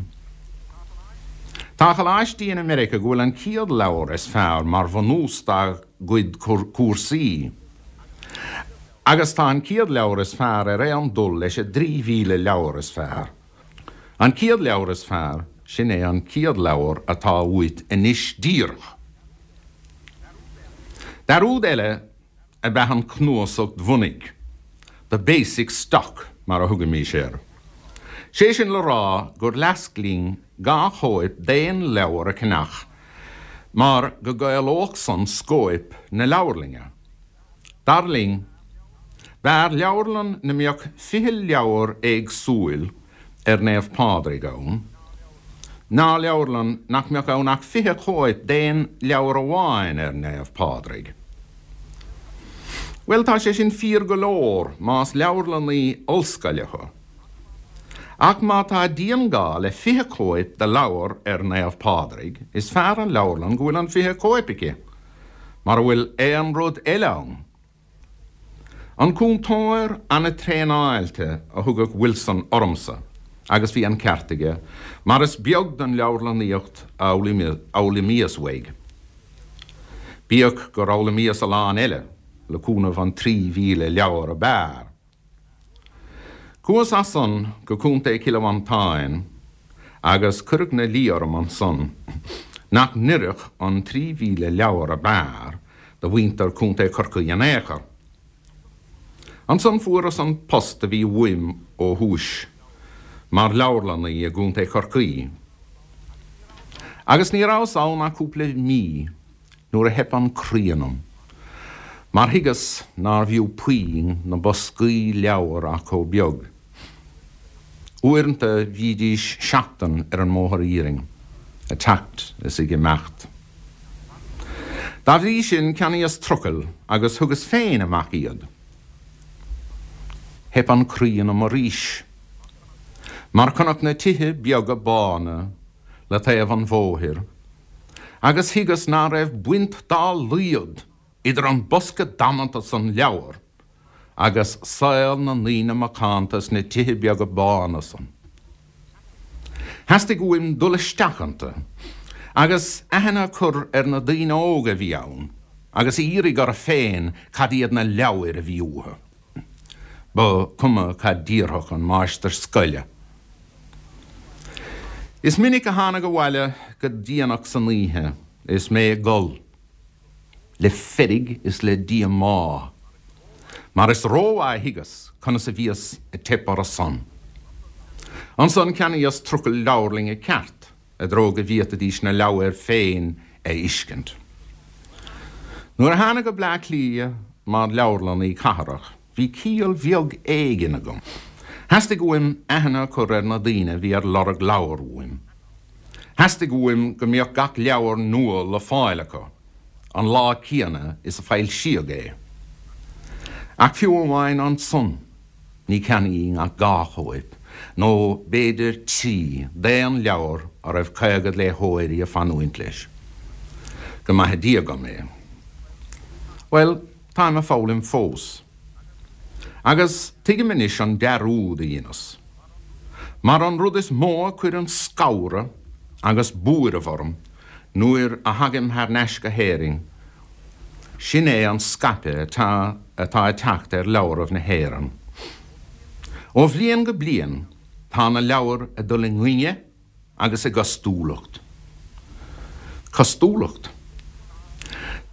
Tá coláistí in America go bhfuil an chéad leabhar is fearr mar bhunús dá gcuid cúrsaí. Agus tá an chéad leabhar is fearr ar aon dul leis an dtrí mhíle leabhar is fearr. An chéad leabhar is fearr, sin é an chéad leabhar atá uait anois díreach. Dearúd eile ab ea an chnuasacht bhunaidh, the basic stock mar a thugaimís air. Sé sin le rá gur leasc linn dhá chóip d'aon leabhar a cheannach mar go gcaolódh san scóip na leabharlainne. Dar linn, b'fhearr leabharlann 'na mbeadh 20 leabhar éagsúil ar Naomh Pádraig ann, ná leabharlann nach mbeadh ann ach 20 cóip d'aon leabhar amháin ar Naomh Pádraig. Bhuel, tá sé sin fíor go leor más leabharlannaí ollscoile thu. Ach má tá dianghá le 20 cóip de leabhar ar Naomh Pádraig, is fearr an leabharlann go bhfuil an 20 cóip aici. Mara bhfuil aon rud eile ann. An cúntóir an-traenáilte a thugadh Wilson ormsa agus bhí an ceart aige mar is beag den leabharlannaíocht a fhoghlaimíos uaidh. Bíodh gur fhoghlaimíos a lán eile le cúnamh an 3,000 leabhar ab fhearr. Chuas as san go Contae Chille Mhantáin agus cuireadh 'na luí orm ansan nach n-oirfeadh an 3,000 leabhar ab fhearr do mhuintir Chontae Chorcaí in aon chor. Ansan fuaireas an post a bhí uaim ó thúis, mar leabharlannaí i gContae Chorcaí. Agus ní rabhas ann ach cúpla mí nuair a theip an croí ionam, mar thuigeas nárbh fhiú puinn na boscaí leabhar ach chomh beag. Uaireanta bhídís seachtain ar an mbóthar iarainn, ag teacht is ag imeacht. Dá bhrí sin cheannaíos trucail agus thugas féin amach iad. Theip an croí ionam arís. Mar chonac na tithe beaga bána le taobh an bhóthair agus thuigeas ná raibh baint dá laghad idir an bosca damanta san leabhar agus saol na ndaoine macánta sna tithe beaga bána san. Theastaigh uaim dul isteach iontu agus aithne a chur ar na daoine óga a bhí ann agus a iarraidh orthu féin cad iad na leabhair a bhí uathu. Ba chuma cad déarfadh an máistir scoile. Is minic a thánag abhaile go déanach san oíche is mé ag gol. le feirg is le díomá, mar is rómhaith a thuigeas conas a bhíos ag teip orthu-san. Ansan cheannaíos trucail leabharlainne ceart i dtreo go bhféadfaidís na leabhair féin a fheiscint. Nuair a thánag go Bleá Cliath mar leabharlannaí cathrach bhí ciall bheag éigin agam. Theastaigh uaim aithne a chur ar na daoine a bhí ar lorg leabhar uaim. Theastaigh uaim go mbeadh gach leabhar nua le fáil acu an lá céanna is a foilsíodh é. Ach fiú amháin ansan ní cheannaínn ach dhá chóip, nó b'fhéidir trí, d'aon leabhar a raibh caogad léitheoirí ag fanúint leis. Go maithe Dia dhom é. Bhuel, táim ag foghlaim fós. Agus tuigim anois an dearúd a dheineas. Mar an rud is mó a chuireann scanradh agus buaireamh orm nuair a thagaim thar n-ais go hÉirinn, sin é an scaipeadh atá atá ag teacht ar leabhraibh na hÉireann. Ó bhliain go bliain tá na leabhair ag dul i ngainne agus i gcostúlacht. Costúlacht?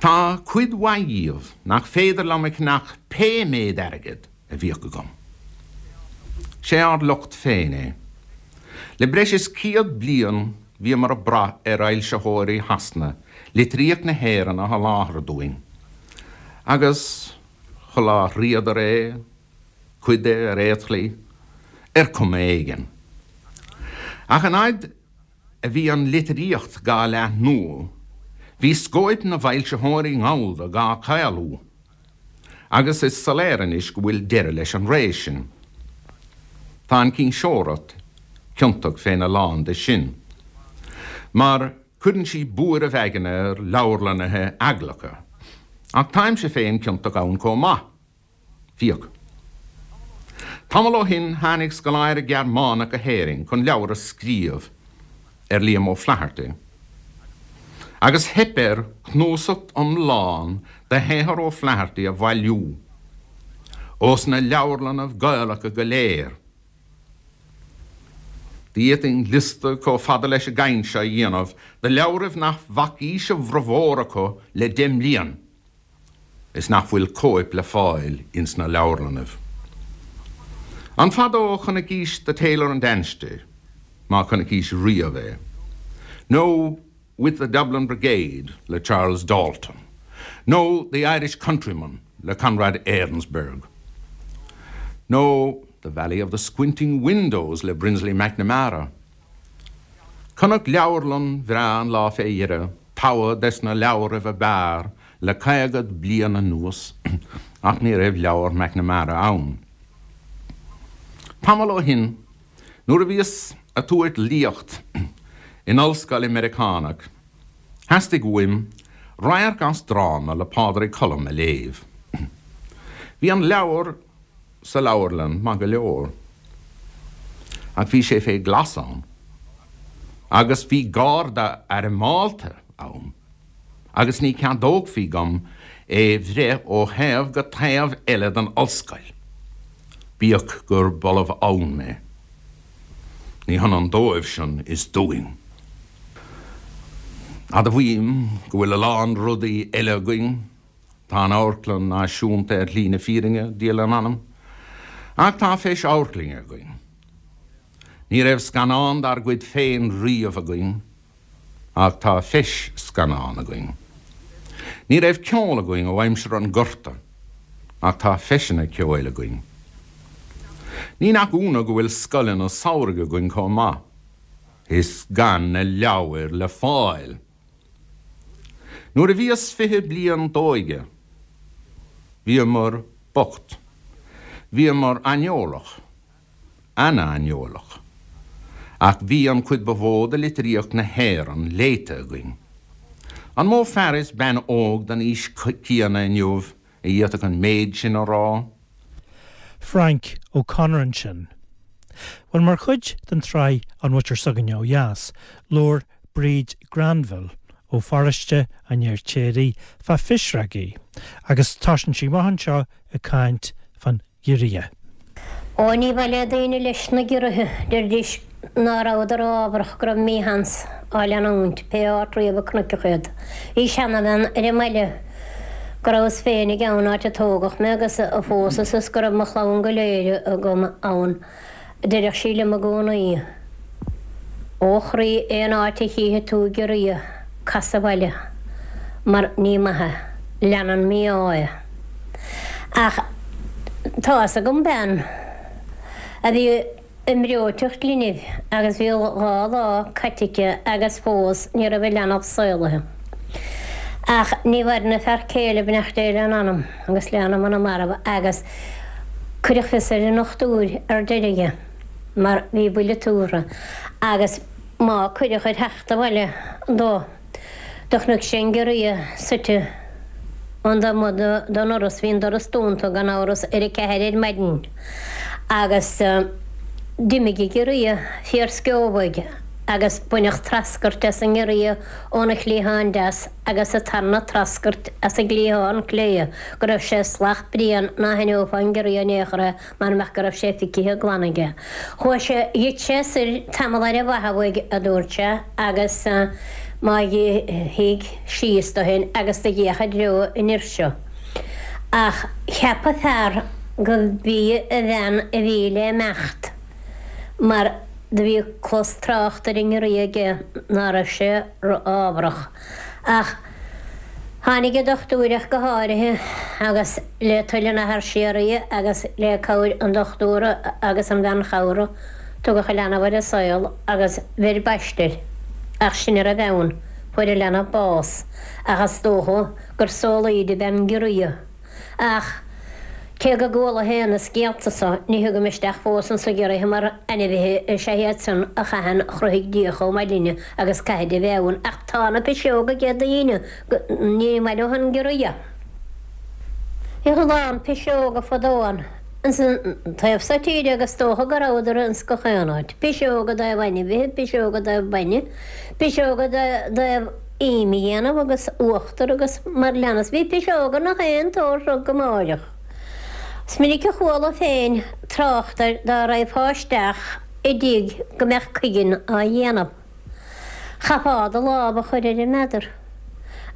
Tá cuid mhaith dhíobh nach féidir liom a cheannach pé méid airgid a bhíodh agam. Sé ár locht féin é. Le breis is 100 bliain bhíomar ag brath ar fhoilsitheoirí Shasana litríocht na hÉireann a sholáthar dúinn, agus sholáthraíodar é, cuid de ar aon tslí, ar chuma éigin. Ach an fhaid a bhí an litríocht dhá leathnú, bhí scóip na bhfoilsitheoirí Gallda dhá chaolú. Agus is soiléir anois go bhfuil deireadh leis an ré sin. Tá an chinseoireacht ciontach féna lán de sin. Mar cuireann sí buaireamh aigne ar leabharlannaithe eaglacha. Ach táimse féin ciontach ann chomh maith. Féach. Tamall ó shin tháinig scoláire Gearmánach go hÉirinn chun leabhar a scríobh ar Liam O'Flaherty. Agus theip air cnuasacht iomlán de shaothar O'Flaherty a bhailiú ós na leabharlannaibh Gaelacha go léir. D'fhéadfainn liosta chomh fada leis an gcaint seo a dhéanamh de leabhraibh nach bhfacaís a bhformhór acu le deich mblian. is nach bhfuil cóip le fáil ins na leabharlannaibh. An fada ó chonaicís The Tailor and Anstey, má chonaicís riamh é, nó With the Dublin Brigade le Charles Dalton, nó The Irish Countryman le Conrad Arensberg, nó The Valley of the Squinting Windows le Brinsley McNamara? Chonac leabharlann bhreá an lá fé dheireadh, togha des na leabhraibh ab fhearr le caogad bliain anuas, ach ní raibh leabhar McNamara ann. Tamall ó shin, nuair a bhíos a' tabhairt léacht in ollscoil i Meiriceánach, theastaigh uaim radharc as dráma le Pádraic Colum a léamh. Bhí an leabhar sa leabharlann maith go leor, ach bhí sé fé ghlas ann, agus bhí gárda airmeálta ann, agus ní ceadóchfaí dhom é bhreith ó thaobh go taobh eile den ollscoil, bíodh gur b'ollamh ann mé. Ní hionann dóibhsean is dúinn. Admhaím go bhfuil a lán rudaí eile againn. Tá an Amharclann Náisiúnta ar shlí na fírinne, Dia lena anam, ach tá feis amharclainne againn. Ní raibh scannán dár gcuid féin riamh againn, ach tá feis scannán againn. Ní raibh ceol againn ó aimsir an Ghorta, ach tá feiseanna ceoil againn. Ní nach ionadh go bhfuil scoileanna samhraidh againn chomh maith, is gan na leabhair le fáil. Nuair a bhíos 20 bliain d'óige, bhíomar bocht. Bhíomar aineolach, ana-aineolach. Ach bhí an chuid ba mhó de litríocht na hÉireann léite againn. An mó fear is bean óg den aois chéanna inniu a d'fhéadfadh an méid sin a rá? Frank O'Connor ansin. Bhuel, mar chuid den tsraith An Mhuintir S'againne Ó Dheas, labhair Bríd Granville ó pharóiste an Fheirtéaraigh fá phisreogaí agus tosaíonn sí amach anseo ag caint fán ghiorria. Ó, ní mhaith le daoine leis na giorraithe, deiridís ná rabhadar ámharach go raibh mísheans á leanúint, pé áit riamh a cnoiceadh iad. Bhí seanabhean ar an mbaile go rabhas féinig ann, áit a tógadh mé agus a phósas is go raibh mo chlann go léir agam ann. Deireadh sí liom i gcónaí, Ó chroí, aon áit a chífidh tú giorria, cas abhaile, mar ní maith é, leanann mí-ádh é. Ach tá's agam bean a bhí i mbreoiteacht linbh agus bhí 2 lá caite aici agus fós ní raibh an leanbh saolaithe. Ach ní mhaireann a fear céile, beannacht Dé lena anam agus le anam na marbh, agus cuireadh fios ar an ndochtúir ar deireadh mar bhí buille tuartha agus má cuireadh ar theacht abhaile dó do chonaic sé an giorria suite an taobh amuigh den ndoras, bhí an doras dúnta gan amhras ar a ceathair ar maidin agus d'imigh an giorria fíorsceobhaidh agus baineadh treascairt as an ngiorria óna chliathán deas agus an tarna treascairt as an gcliathán clé go raibh sé salach bréan ná haithneofá an giorria in aon chor é mara mbeadh go raibh sé ficithe glan aige. Chuaigh sé, gheit sé soir tamall ar an mhaithe uaidh, a dúirt sé, agus má shuigh síos dó féin agus do dh'fhéach i dtreo an fhir seo. Ach cheap an fear go b'í a bhean a bhí le imeacht mar do bhí clos trácht ar an ngiorria aige ná raibh sé ro-ámharach. Ach tháinig an dochtúir ach go háirithe, agus le toil an Athar Síoraí agus le cabhair an dochtúra agus an bhean chabhrach, tugadh an leanbh ar an saol agus bheir baiste air. Ach sin a raibh ann, fuair an leanbh bás, ach is dócha gur saolaíodh ab ea an giorria. Ach cé go gcuala féin na scéalta so, ní thugaim isteach fós anso giorraithe mar ainmhithe is ea iad san a chaitheann a chruthaigh Dia chomh maith linne agus caithfid a bheith ann. Ach tá na piseoga aige daoine go ní maith leo an giorria. Bhíodh a lán piseoga fadó ann ins an taobh so tíre agus dócha go rabhadar ins gach aon áit. Piseoga i dtaobh ainmhithe, piseoga i dtaobh bainne, piseoga i dtaobh im a dhéanamh agus uachtar agus mar leanas. Bhí piseoga nach aon tsórt rud go máireach. Is minic a chuala féin trácht air dá raghfá isteach i dtigh go mbeadh cuigeann á dhéanamh. Chaithfeá do lámh a chur ar an meadar.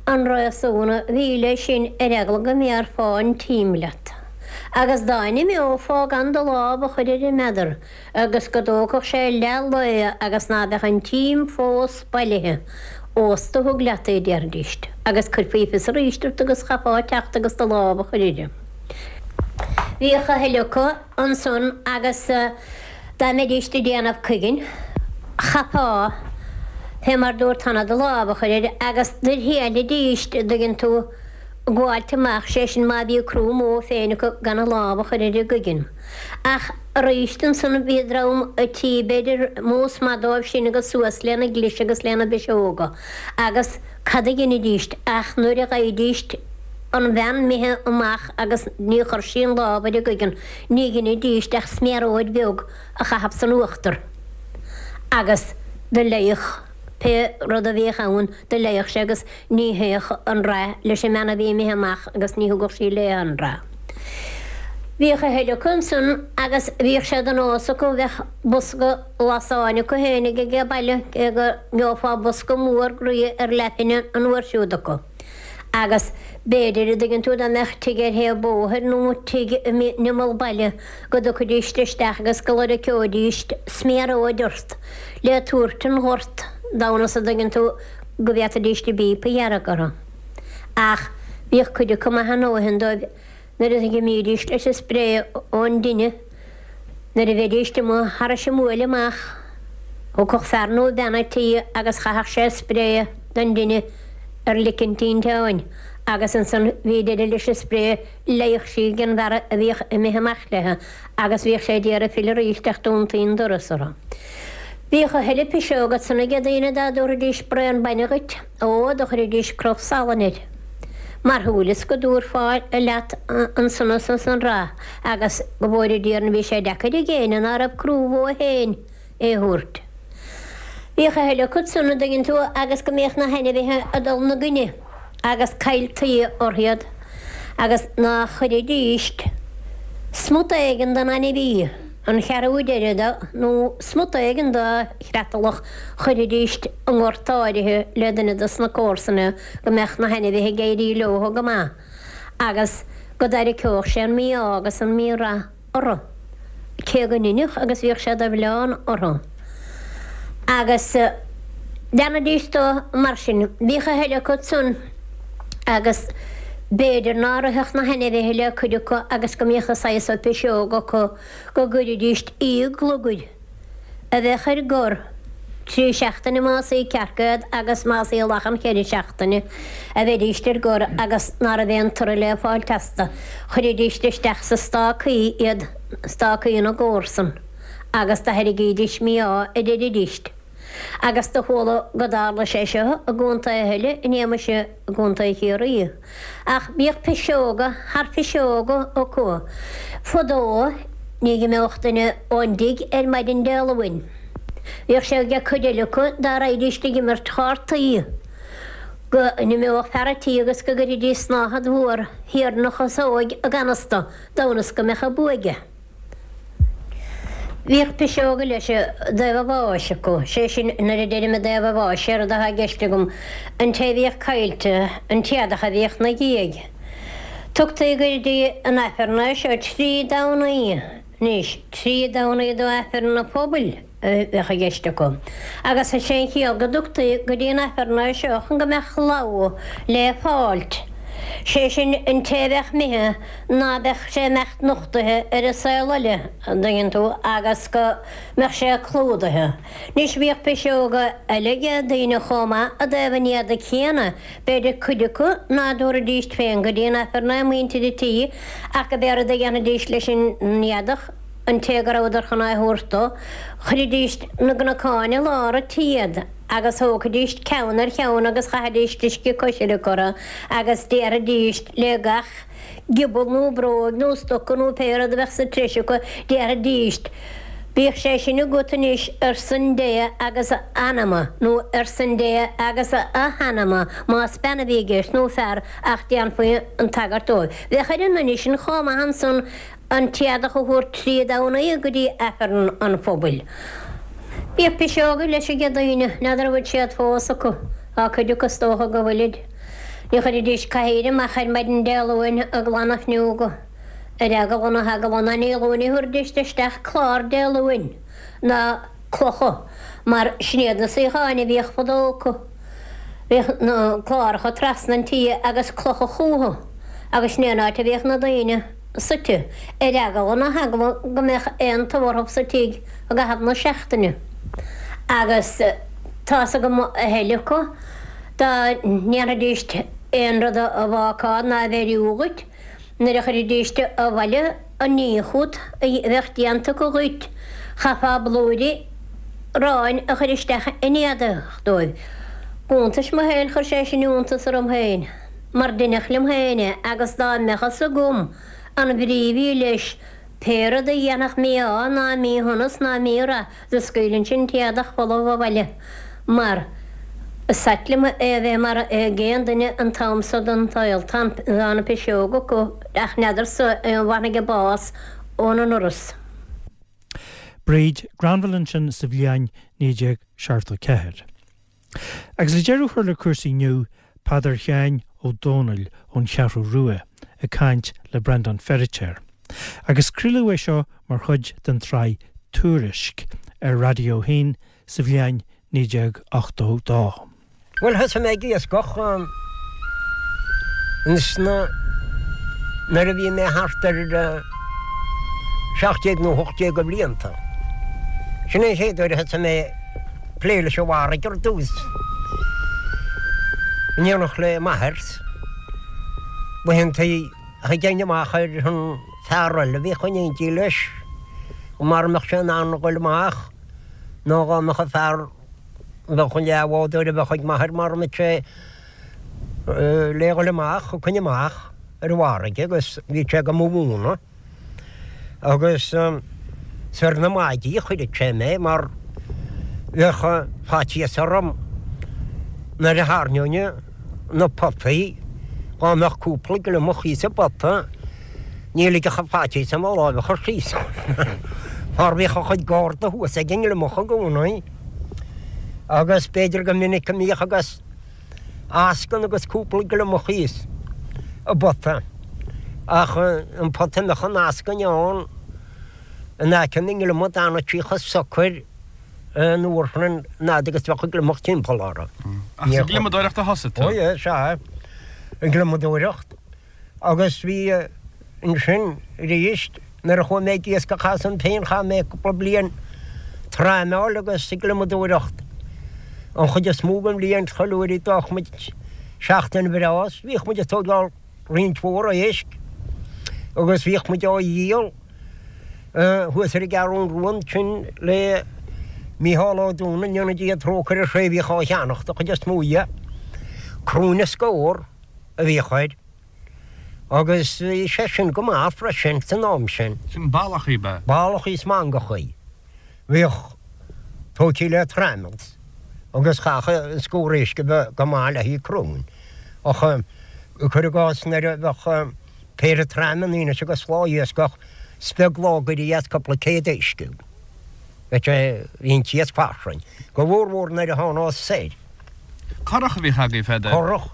An réasún a bhí leis sin ar eagla go mbéarfá an t-im leat. Agus dá n-imeofá gan do lámh a chur ar an meadar, agus go dtógfadh sé leath lae agus ná beadh an t-im fós bailithe, ós tú thug leat é, déarfaidíst, agus cuirfí fios aríst ort agus chaithfeá teacht agus do lámh a chur uirthi. Bhíodh a thuilleadh acu ansan agus dá mbeidíst ag déanamh cuiginn, chaithfeá, fé mar dúrt cheana, do lámh a chur air agus do thriailidíst, a dtuigeann tú, gabháilt amach, sé sin má bhí crú mó féin acu gan a lámh a chur ar an gcuigeann. Ach aríst ansan bhí dream a' tí b'fhéidir más maith dóibh sin agus suas lena gclis agus lena bpiseoga agus cad a dheinidíst ach nuair a gheibhidíst an bhean imithe amach agus ní chuir sí an lámh ar an gcuigeann ní dheinidíst ach sméaróid bheag a chaitheamh san uachtar agus do leigheadh pé rud a bhíodh ann do leigheadh sé agus Ní théadh an rath leis an mbean a bhí imithe amach agus ní thugadh sí léi an rath. Bhíodh a thuilleadh acu ansan agus bhíodh sé de nós acu, bheadh bosca lasáin acu fhéinig age baile, cé go ngeofá bosca mór groí ar leathphingin an uair siúd acu. Agus b'fhéidir, a dtuigeann tú, dá mbeadh tigh ar thaobh bóthair nó tigh in imeall baile go dtiocfaidíst isteach agus go loirceoidíst sméaróid ort le tabhairt an ghort d'fhonn is, a dtuigeann tú, go bhféadfaidíst a bpíopa a ghearradh orthu. Ach bhíodh cuid acu maith a ndóthain dóibh nuair a dh'imídíst leis an spré ón dtine, nuair a bheidíst amuigh thairis an mbuaile amach, thiocfadh fear nó bean a' tí agus chaithfeadh sé spré don dtine ar lic an tinteáin agus ansan bhí deireadh leis an spré, leigheadh sí den bhfear a bhíodh imithe amach léi agus bhíodh sé d'iarraidh filleadh arís ach dúntaí an doras orthu. Bhíodh a thuilleadh piseog ansan aige daoine dá dtabharfaidís braon bainne dhuit, ó, do chuiridís cruf salainn air. Mar shúileas go dtabharfá leat an sonas is an rath agus go bhfóire Dia orainn bhí sé deacair ag éinne ná raibh crúbh ó fhéin é thabhairt. Bhíodh a thuilleadh acu san, an dtuigeann tú, agus go mbíodh na hainmhithe ag dul 'na gcoinne agus cailltí orthu iad agus ná chuiridíst smut éigin den ainmhí, an cheathrú deiridh de nó smut éigin dá chreatalach, chuirfidíst i ngort áirithe le duine dos na comharsana go mbeadh na hainmhithe ag éirí leothu go maith agus go dtarraiceodh sé an mí-ádh agus an mí-rath orthu, cé go n-inneadh agus bhíodh sé de mhilleán orthu. Agus leanaidís dó mar sin. Bhíodh a thuilleadh acu san agus b'fhéidir ná rithfeadh na hainmhithe le cuid acu agus go mbíodh an saghas so piseog acu go gcuiridíst iathghlugair a bheadh ar gor trí seachtaine más í cearc iad agus más í lachan cheithre seachtaine a bheidíst ar gor agus ná raibh aon toradh le fáilt astu. Chuiridíst isteach sa stácaí iad, stácaí na gcomharsan, agus do thairrigídís mí-ádh a deiridíst. Agus do chuala go dtarla sé seo i gcontaetha eile in éamais i gContae Chiarraí. Ach bhíodh piseoga thar phiseoga acu. Fadó ní dh'imeodh duine ón dtigh ar maidin Dé Luain. Bhíodh sé ag cuid eile acu dá raghaidíst ag imirt chártaí go n-imeodh fear a' tí agus go gcuirfidís snáthaid mhór thiar 'na chasóig i gcanasta d'fhonn is go mbeadh an bua aige. Bhíodh piseoga leis i dtaobh a bháis acu, sé sin, nuair a deirim i dtaobh a bháis, séard atá i gceist agam an té a bhíodh caillte, an t-éadach a bhíodh 'na dhiaidh. Tugtaí go dtí an Aifreann é seo trí Domhnaí, anois, trí Domhnaí do Aifreann an phobail a bheadh i gceist acu. Agus is é an chiall go dtugtaí go dtí an Aifreann é seo chun go mbeadh logha le fáilt, sé sin, an té a bheadh imithe ná beadh sé imeacht nochtaithe ar an saol eile, an dtuigeann tú, agus go mbeadh sé clúdaithe. Anois bhíodh piseoga eile aige daoine chomh maith i dtaobh an éadaigh chéanna, b'fhéidir cuid acu ná dtabharfaidíst féin go dtí an Aifreann é, muintir an tí, ach go b'é rud a dhéanfaidíst leis an éadach, an té go rabhadar chun é a thabhairt dó, chuiridíst 'na gcnocáin i lár an tí iad agus thógfaidíst ceann ar cheann agus chaithidíst uisce coisricthe orthu agus déarfaidíst le gach giobal nó bróig nó stoca nó pé rud a bheadh sa treis acu, déarfaidíst, Bíodh sé sin agat anois ar son Dé agus a anama, nó ar son Dé agus a hanama, más bean a bhí i gceist nó fear, ach déanfaí an tagairt dóibh. Bheadh ar an nduine sin chomh maith ansan an t-éadach a thabhairt trí Domhnaí go dtí Aifreann an phobail. Bhíodh piseoga leis aige daoine, n'fheadar an bhfuil siad fós acu, tá cuid acu is dócha go bhfuilid. Ní chuiridís cathaoir amach ar maidin Dé Luain ag glanadh fuinneoga, ar eagla na heagla ná ní Luain a thabharfaidís isteach clár Dé Luain ná clocha mar sin iad na suíocháin a bhíodh fadó acu. Bhíodh na cláracha trasna an tí agus clocha chúthu agus sin é an áit a bhíodh na daoine suite, ar eagla na heagla go mbeadh aon tórramh sa tigh i gcaitheamh na seachtaine. Agus tá's agam a thuilleadh acu. Dá ndéanfaidíst aon rud a bhácáil ná a bheiriú dhuit, nuair a chuirfidíst abhaile an ní chút a bheadh déanta acu dhuit, chaithfeá blúirí aráin a chur isteach in éadach dóibh. Iontais mo shaoil chuir sé sin iontas orm féin, mar deineadh liom féin é agus dá mbeadh fhios agam an bhrí a bhí leis, pé rud a dhéanfadh mí-ádh ná míshonas ná mí-rath, Do scaoilfinnse an t-éadach folamh abhaile mar is ait liom é a bheith mar ag aon duine an t-am so den tsaol. Tá na piseoga acu ach n'fheadarsa an bhfanfaidh a bás ón ndoras. Bríd Granville ansin sa bhliain 1974. Agus le deireadh a chur le cúrsaí inniu, Peadar Sheáin Ó Dónaill ón Cheathrú Rua ag caint le Breandán Feiritéar. Agus craoladh é seo mar chuid den tsraith Tuairisc ar Raidió 1 sa bhliain 1982. Bhuel, thosaigh mé ag iascach ins na, nuair a bhí mé thart ar 17 nó 18 de bhlianta. Sin é an chéad uair a thosaigh mé plé leis an bhfarraige ar dtús. In éineacht le m'athair, laethantaí a théinn amach ar an fear eile a bhíodh in éindí leis, mara mbeadh sé in ann a dhul amach. Nó dhá mbeadh an fear, bheadh an leathbhádóir a bheadh ag m'athair mara mbeadh sé le dhul amach, thiocfainn amach ar an bhfarraige agus bhí sé go mo mhúineadh. Agus is ar na maidí a chuireadh sé mé mar bheadh faitíos orm nuair a thairneoinn na potaí, dhá mbeadh cúpla gliomach thíos i bpota, ní ligfeadh an faitíos orm mo láimh a chur síos ann mar bhíodh a chuid garda thuas ag an ngliomach i gcónaí. Agus b'fhéidir go minic go mbíodh agus. eascann agus cúpla gliomach thíos i bpota, ach an pota a mbeadh an eascainn ann in aice na ngliomach d'fhanadh sí chomh socair an uair sin an fhad agus bheadh an gliomach timpeall orthu. Ach sa ghliomadóireacht a thosaigh tú? Ó yeah, sea, an gliomadóireacht. Agus bhí ansin arís, nuair a chuaigh mé ag iascach asam féin, chaith mé cúpla bliain traimeáil agus ag gliomadóireacht an chuid is mó den bhliain, chuile uair a d'fhágfadh muid seachtain bhreá is bhíodh muid ag tógáil roinnt mhór éisc agus bhíodh muid á dhíol thuas ar an gCeathrún Rua ansin le Mícheál Ó Dúna, go ndéana Dia trócaire air, sé a bhíodh á cheannach den chuid is mó dhe, cruinn is scór. a bhíodh air, agus bhí sé sin go maith freisin san am sin. Sin ballachaí, ab ea? Ballachaí is mangachaí. Bhíodh tógthaí le traimels agus chaithfeadh an scór éisc a bheith go maith le haghaidh cruinn. Ach cuir i gcás nuair a bheadh péire traimeanna anois agus lá iascach, is beag lá go éirí as cúpla céad éisc. Bheadh sé, bhí an t-iasc fairsing. Go mhór mhór nuair a thánás soir. Curach a bhíodh agaibh fadó. Curach.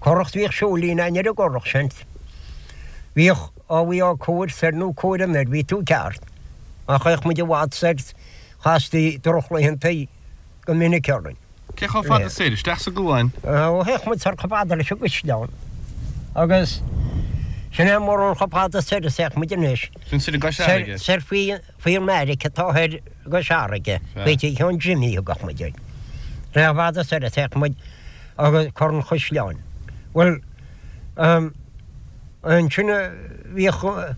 Curach bhíodh seoilín againn ar an gcurach sin. Bhíodh, á bhí á cóir soir nó cóir anoir, bhí tú ceart. Ach théadh muid i bhfad soir, chastaí drochlaethantaí go minic orainn. Cé chomh fada soir? Isteach sa gcuan? Ó, théadh muid soir chomh fada leis an gCaisleán. Agus sin é mórán chomh fada soir is a théadh muid anois. Sin soir i gCois Fharraige? Soir faoi. Faoi an mbeairic atá thoir i gCois Fharraige, faoi Tigh Sheáin Jimmy a thugadh muid air. Sin é chomh fada soir a théadh muid agus Corr an Chaisleáin. Bhuel, ansin bhíodh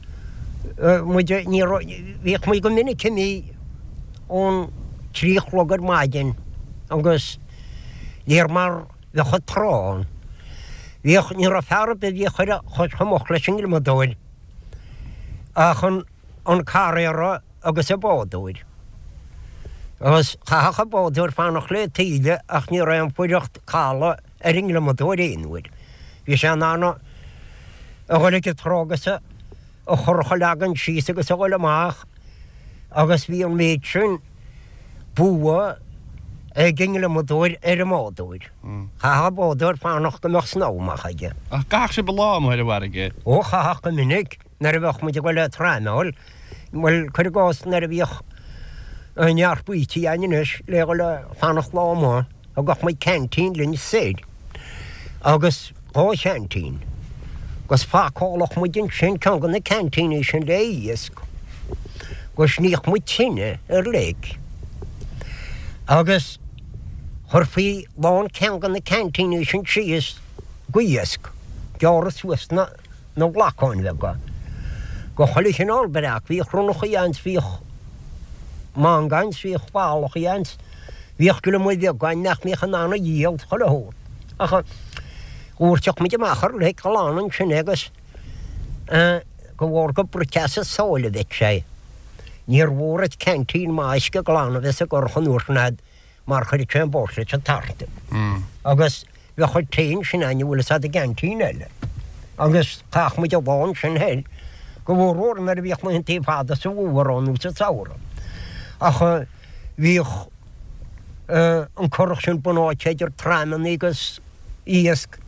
muid, ní raibh, bhíodh muid go minic imithe ón trí a chlog ar maidin agus níor mar bheadh an trá ann. Bhíodh, ní raibh fear ar bith a bhíodh ar a chois chomh moch leis an ngliomadóir ach an. an carraera agus an bádóir. Agus chaithfeadh an bádóir fanacht le taoille ach ní raibh aon fuireacht calaidh ar an ngliomadóir aon uair. Bhí sé in ann a dhul ag an trá agus a churach a leagan síos agus a dhul amach agus bhí an méid sin bua ag an ngliomadóir ar an mbádóir. Chaithfeadh an bádóir fanacht go mbeadh snámh amach aige. Ach gcaithfeadh sibh lá amuigh ar an bhfarraige? Ó, chaithfeadh go minic. Nuair a bheadh muid ag dul ag traimeáil, bhuel, cuir i gcás, nuair a bhíodh neart baoití againn anois le dhul a fanacht lá amuigh, thugadh muid ceaintín linn soir agus dhá cheaintín agus phacálfadh muid ansin ceann de na ceaintíní sin le iasc agus níodh muid tine ar leic agus chuirfí lán ceann de na ceaintíní sin síos go iasc, gearradh suas na. na glacáin bheaga go chuile chineál breac. Bhíodh ronnachaí ann 's bhíodh manga ann 's bhíodh ballachaí ann 's bhíodh gliomaigh bheaga ann nach mbíodh in ann a dhíol 's chuile shórt. Ach dhóirteadh muid amach ar leic ghlan ansin é agus de bharr gur bruite as an sáile a bheadh sé. Níor mhór duit ceaintín maith uisce glan a bheith sa gcurach an uair sin a'd mar chuireadh sé an bháisteach leis an tart. Agus bheadh an tae ansin againn an bhfuil fhios a'd i gceaintín eile. Agus chaitheadh muid an lá ansin thoir, go mhór mhór nuair a bhíodh laethantaí fada sa bhfómhar ann nó sa samhradh. Ach bhíodh an curach sin bunáite idir traimeanna agus iasc,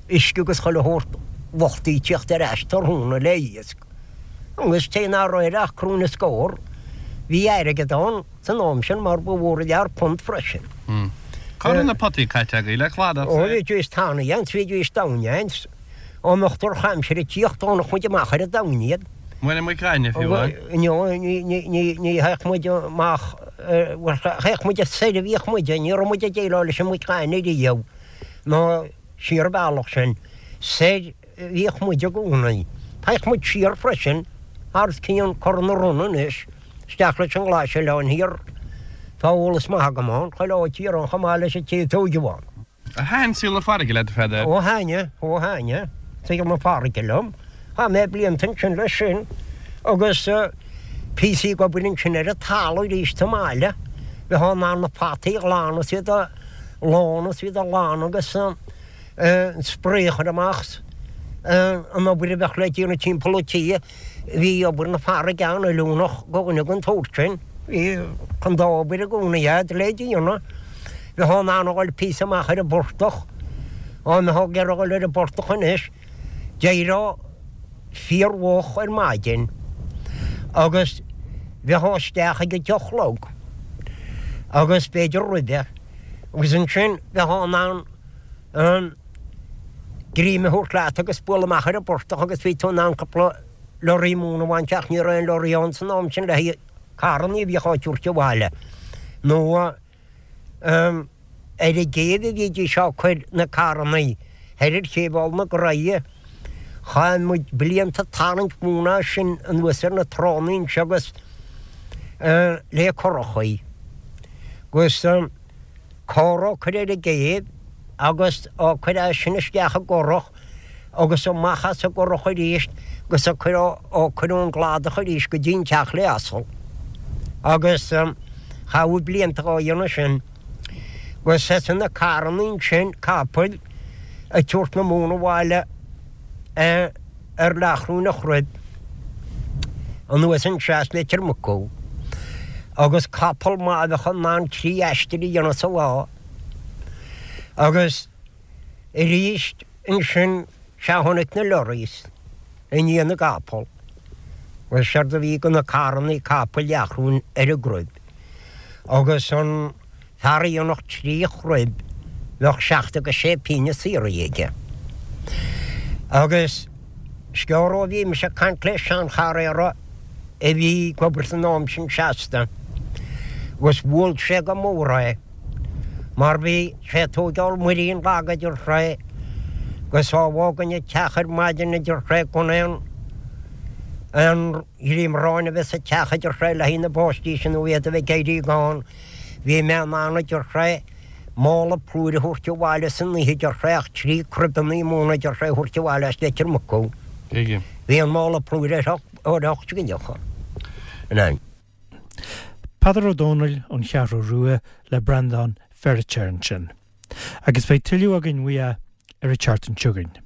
uisce agus chuile shórt luchtaí tíocht ar ais tráthnóna le iasc. Agus cé nach raibh air ach cruinn is scór, bhí airgead ann. san am sin mar ba mhór an lear punt freisin. Cá raibh na potaí caite agaibh le cladach? Ó bhídís tanaí ann 's bhídís domhain ann 's dá mbeadh drochaimsir ag tíocht d'fhánadh muid amach ar an domhain iad. Muine muic ghainimh fiú amháin? No, ní théadh muid amach, bhuel théadh muid soir a bhíodh muid, ní raibh muid ag déileáil leis an muic ghainimh riamh ná siar an bealach sin, soir Bhíodh muid i gcónaí. Théadh muid siar freisin, thar cionn Cora na Rona anois, isteach leis an nGlaisoileán thiar. Tá eolas maith agam ann, chuile áit thiar ann chomh maith leis an té a tóigeadh ann. Ar thaitin saol na farraige leat, a Pheadair? Ó thaitnigh, ó thaitnigh saol na farraige liom. Chaith mé blianta ansin leis sin agus píosaí ag obair ansin ar an talamh arís sa mbaile. Bheifeá in ann na fataí a ghlanadh is iad a lánú is iad a ghlanadh agus an spré a chur amach, an obair a bheadh le déanamh timpeall an tí. Bhí obair na farraige an-oiliúnach do dhuine den tsórt sin. Bhí an dá obair i gcónaí a'd le déanamh. Bheifeá in ann a dhul píosa amach ar an bportach. Dá mbeifeá ag iarraidh a dhul ar an bportach anois, d'éireofá fíormhoch ar maidin agus bheifeá isteach ag a deich a chlog agus b'fhéidir roimhe agus ansin bheifeá in ann an greim a thabhairt leat agus bualadh amach ar an bportach agus bhí tú in ann cúpla lorry móna a bhaint ach ní raibh aon lorry ann san am sin le haghaidh carrannaí a bhíodh á dtabhairt abhaile nó ar an gcéibh a bhídís á cur na carrannaí thoir ar chéibh Aill na Graighe. Chaith muid blianta ag tarraingt móna as sin anuas ar na tránna anseo agus le currachaí agus Carr á cur ar an gcéibh agus á cur as sin isteach i gcurach agus amach as an gcurach arís agus á cur á cur ón gcladach arís go dtí an teach le asal. Agus chaitheamh blianta dhá dhéanamh sin. Agus as na carrannaí ansin, capaill, ag tabhairt na móna abhaile ar leathchruinn a chruib anuas anseo as Leitir Mucú agus capall maith a bheadh in ann 3 aistir a dhéanamh sa lá agus arís ansin sea tháinig na lorries i ndiaidh na gcapall agus séard a bhí de na carrannaí capaill leathchruinn ar an gcruib agus an Fear a dhéanfadh 3 chruib bheadh 76 pínne saothraithe aige. Agus sciorr ó bhí mise ag caint le sean-charraera a bhí ag obair san am sin seasta agus bhuail sé go mór é mar bhí sé ag tóigeáil muirín lag a deir sé agus á bhfágaint an teach ar maidin a deir sé gan aon aon ghreim aráin a bheith sa teach a deir sé le haghaidh na bpáistí sin nó iad a bheith ag éirí gann. Bhí mé in ann, a deir sé, mála plúir a thabhairt abhaile san oíche, a deir sé, ach 3 cruibeannaí móna, a deir sé, a thabhairt abhaile as Leitir Mucú. Bhí an mála plúir ar 8 scileacha in ann. Peadar Ó Dónaill ón Cheathrú Rua le Breandán Feiritéar ansin. Agus beidh tuilleadh againn uaidh ar an tseachtain seo chugainn.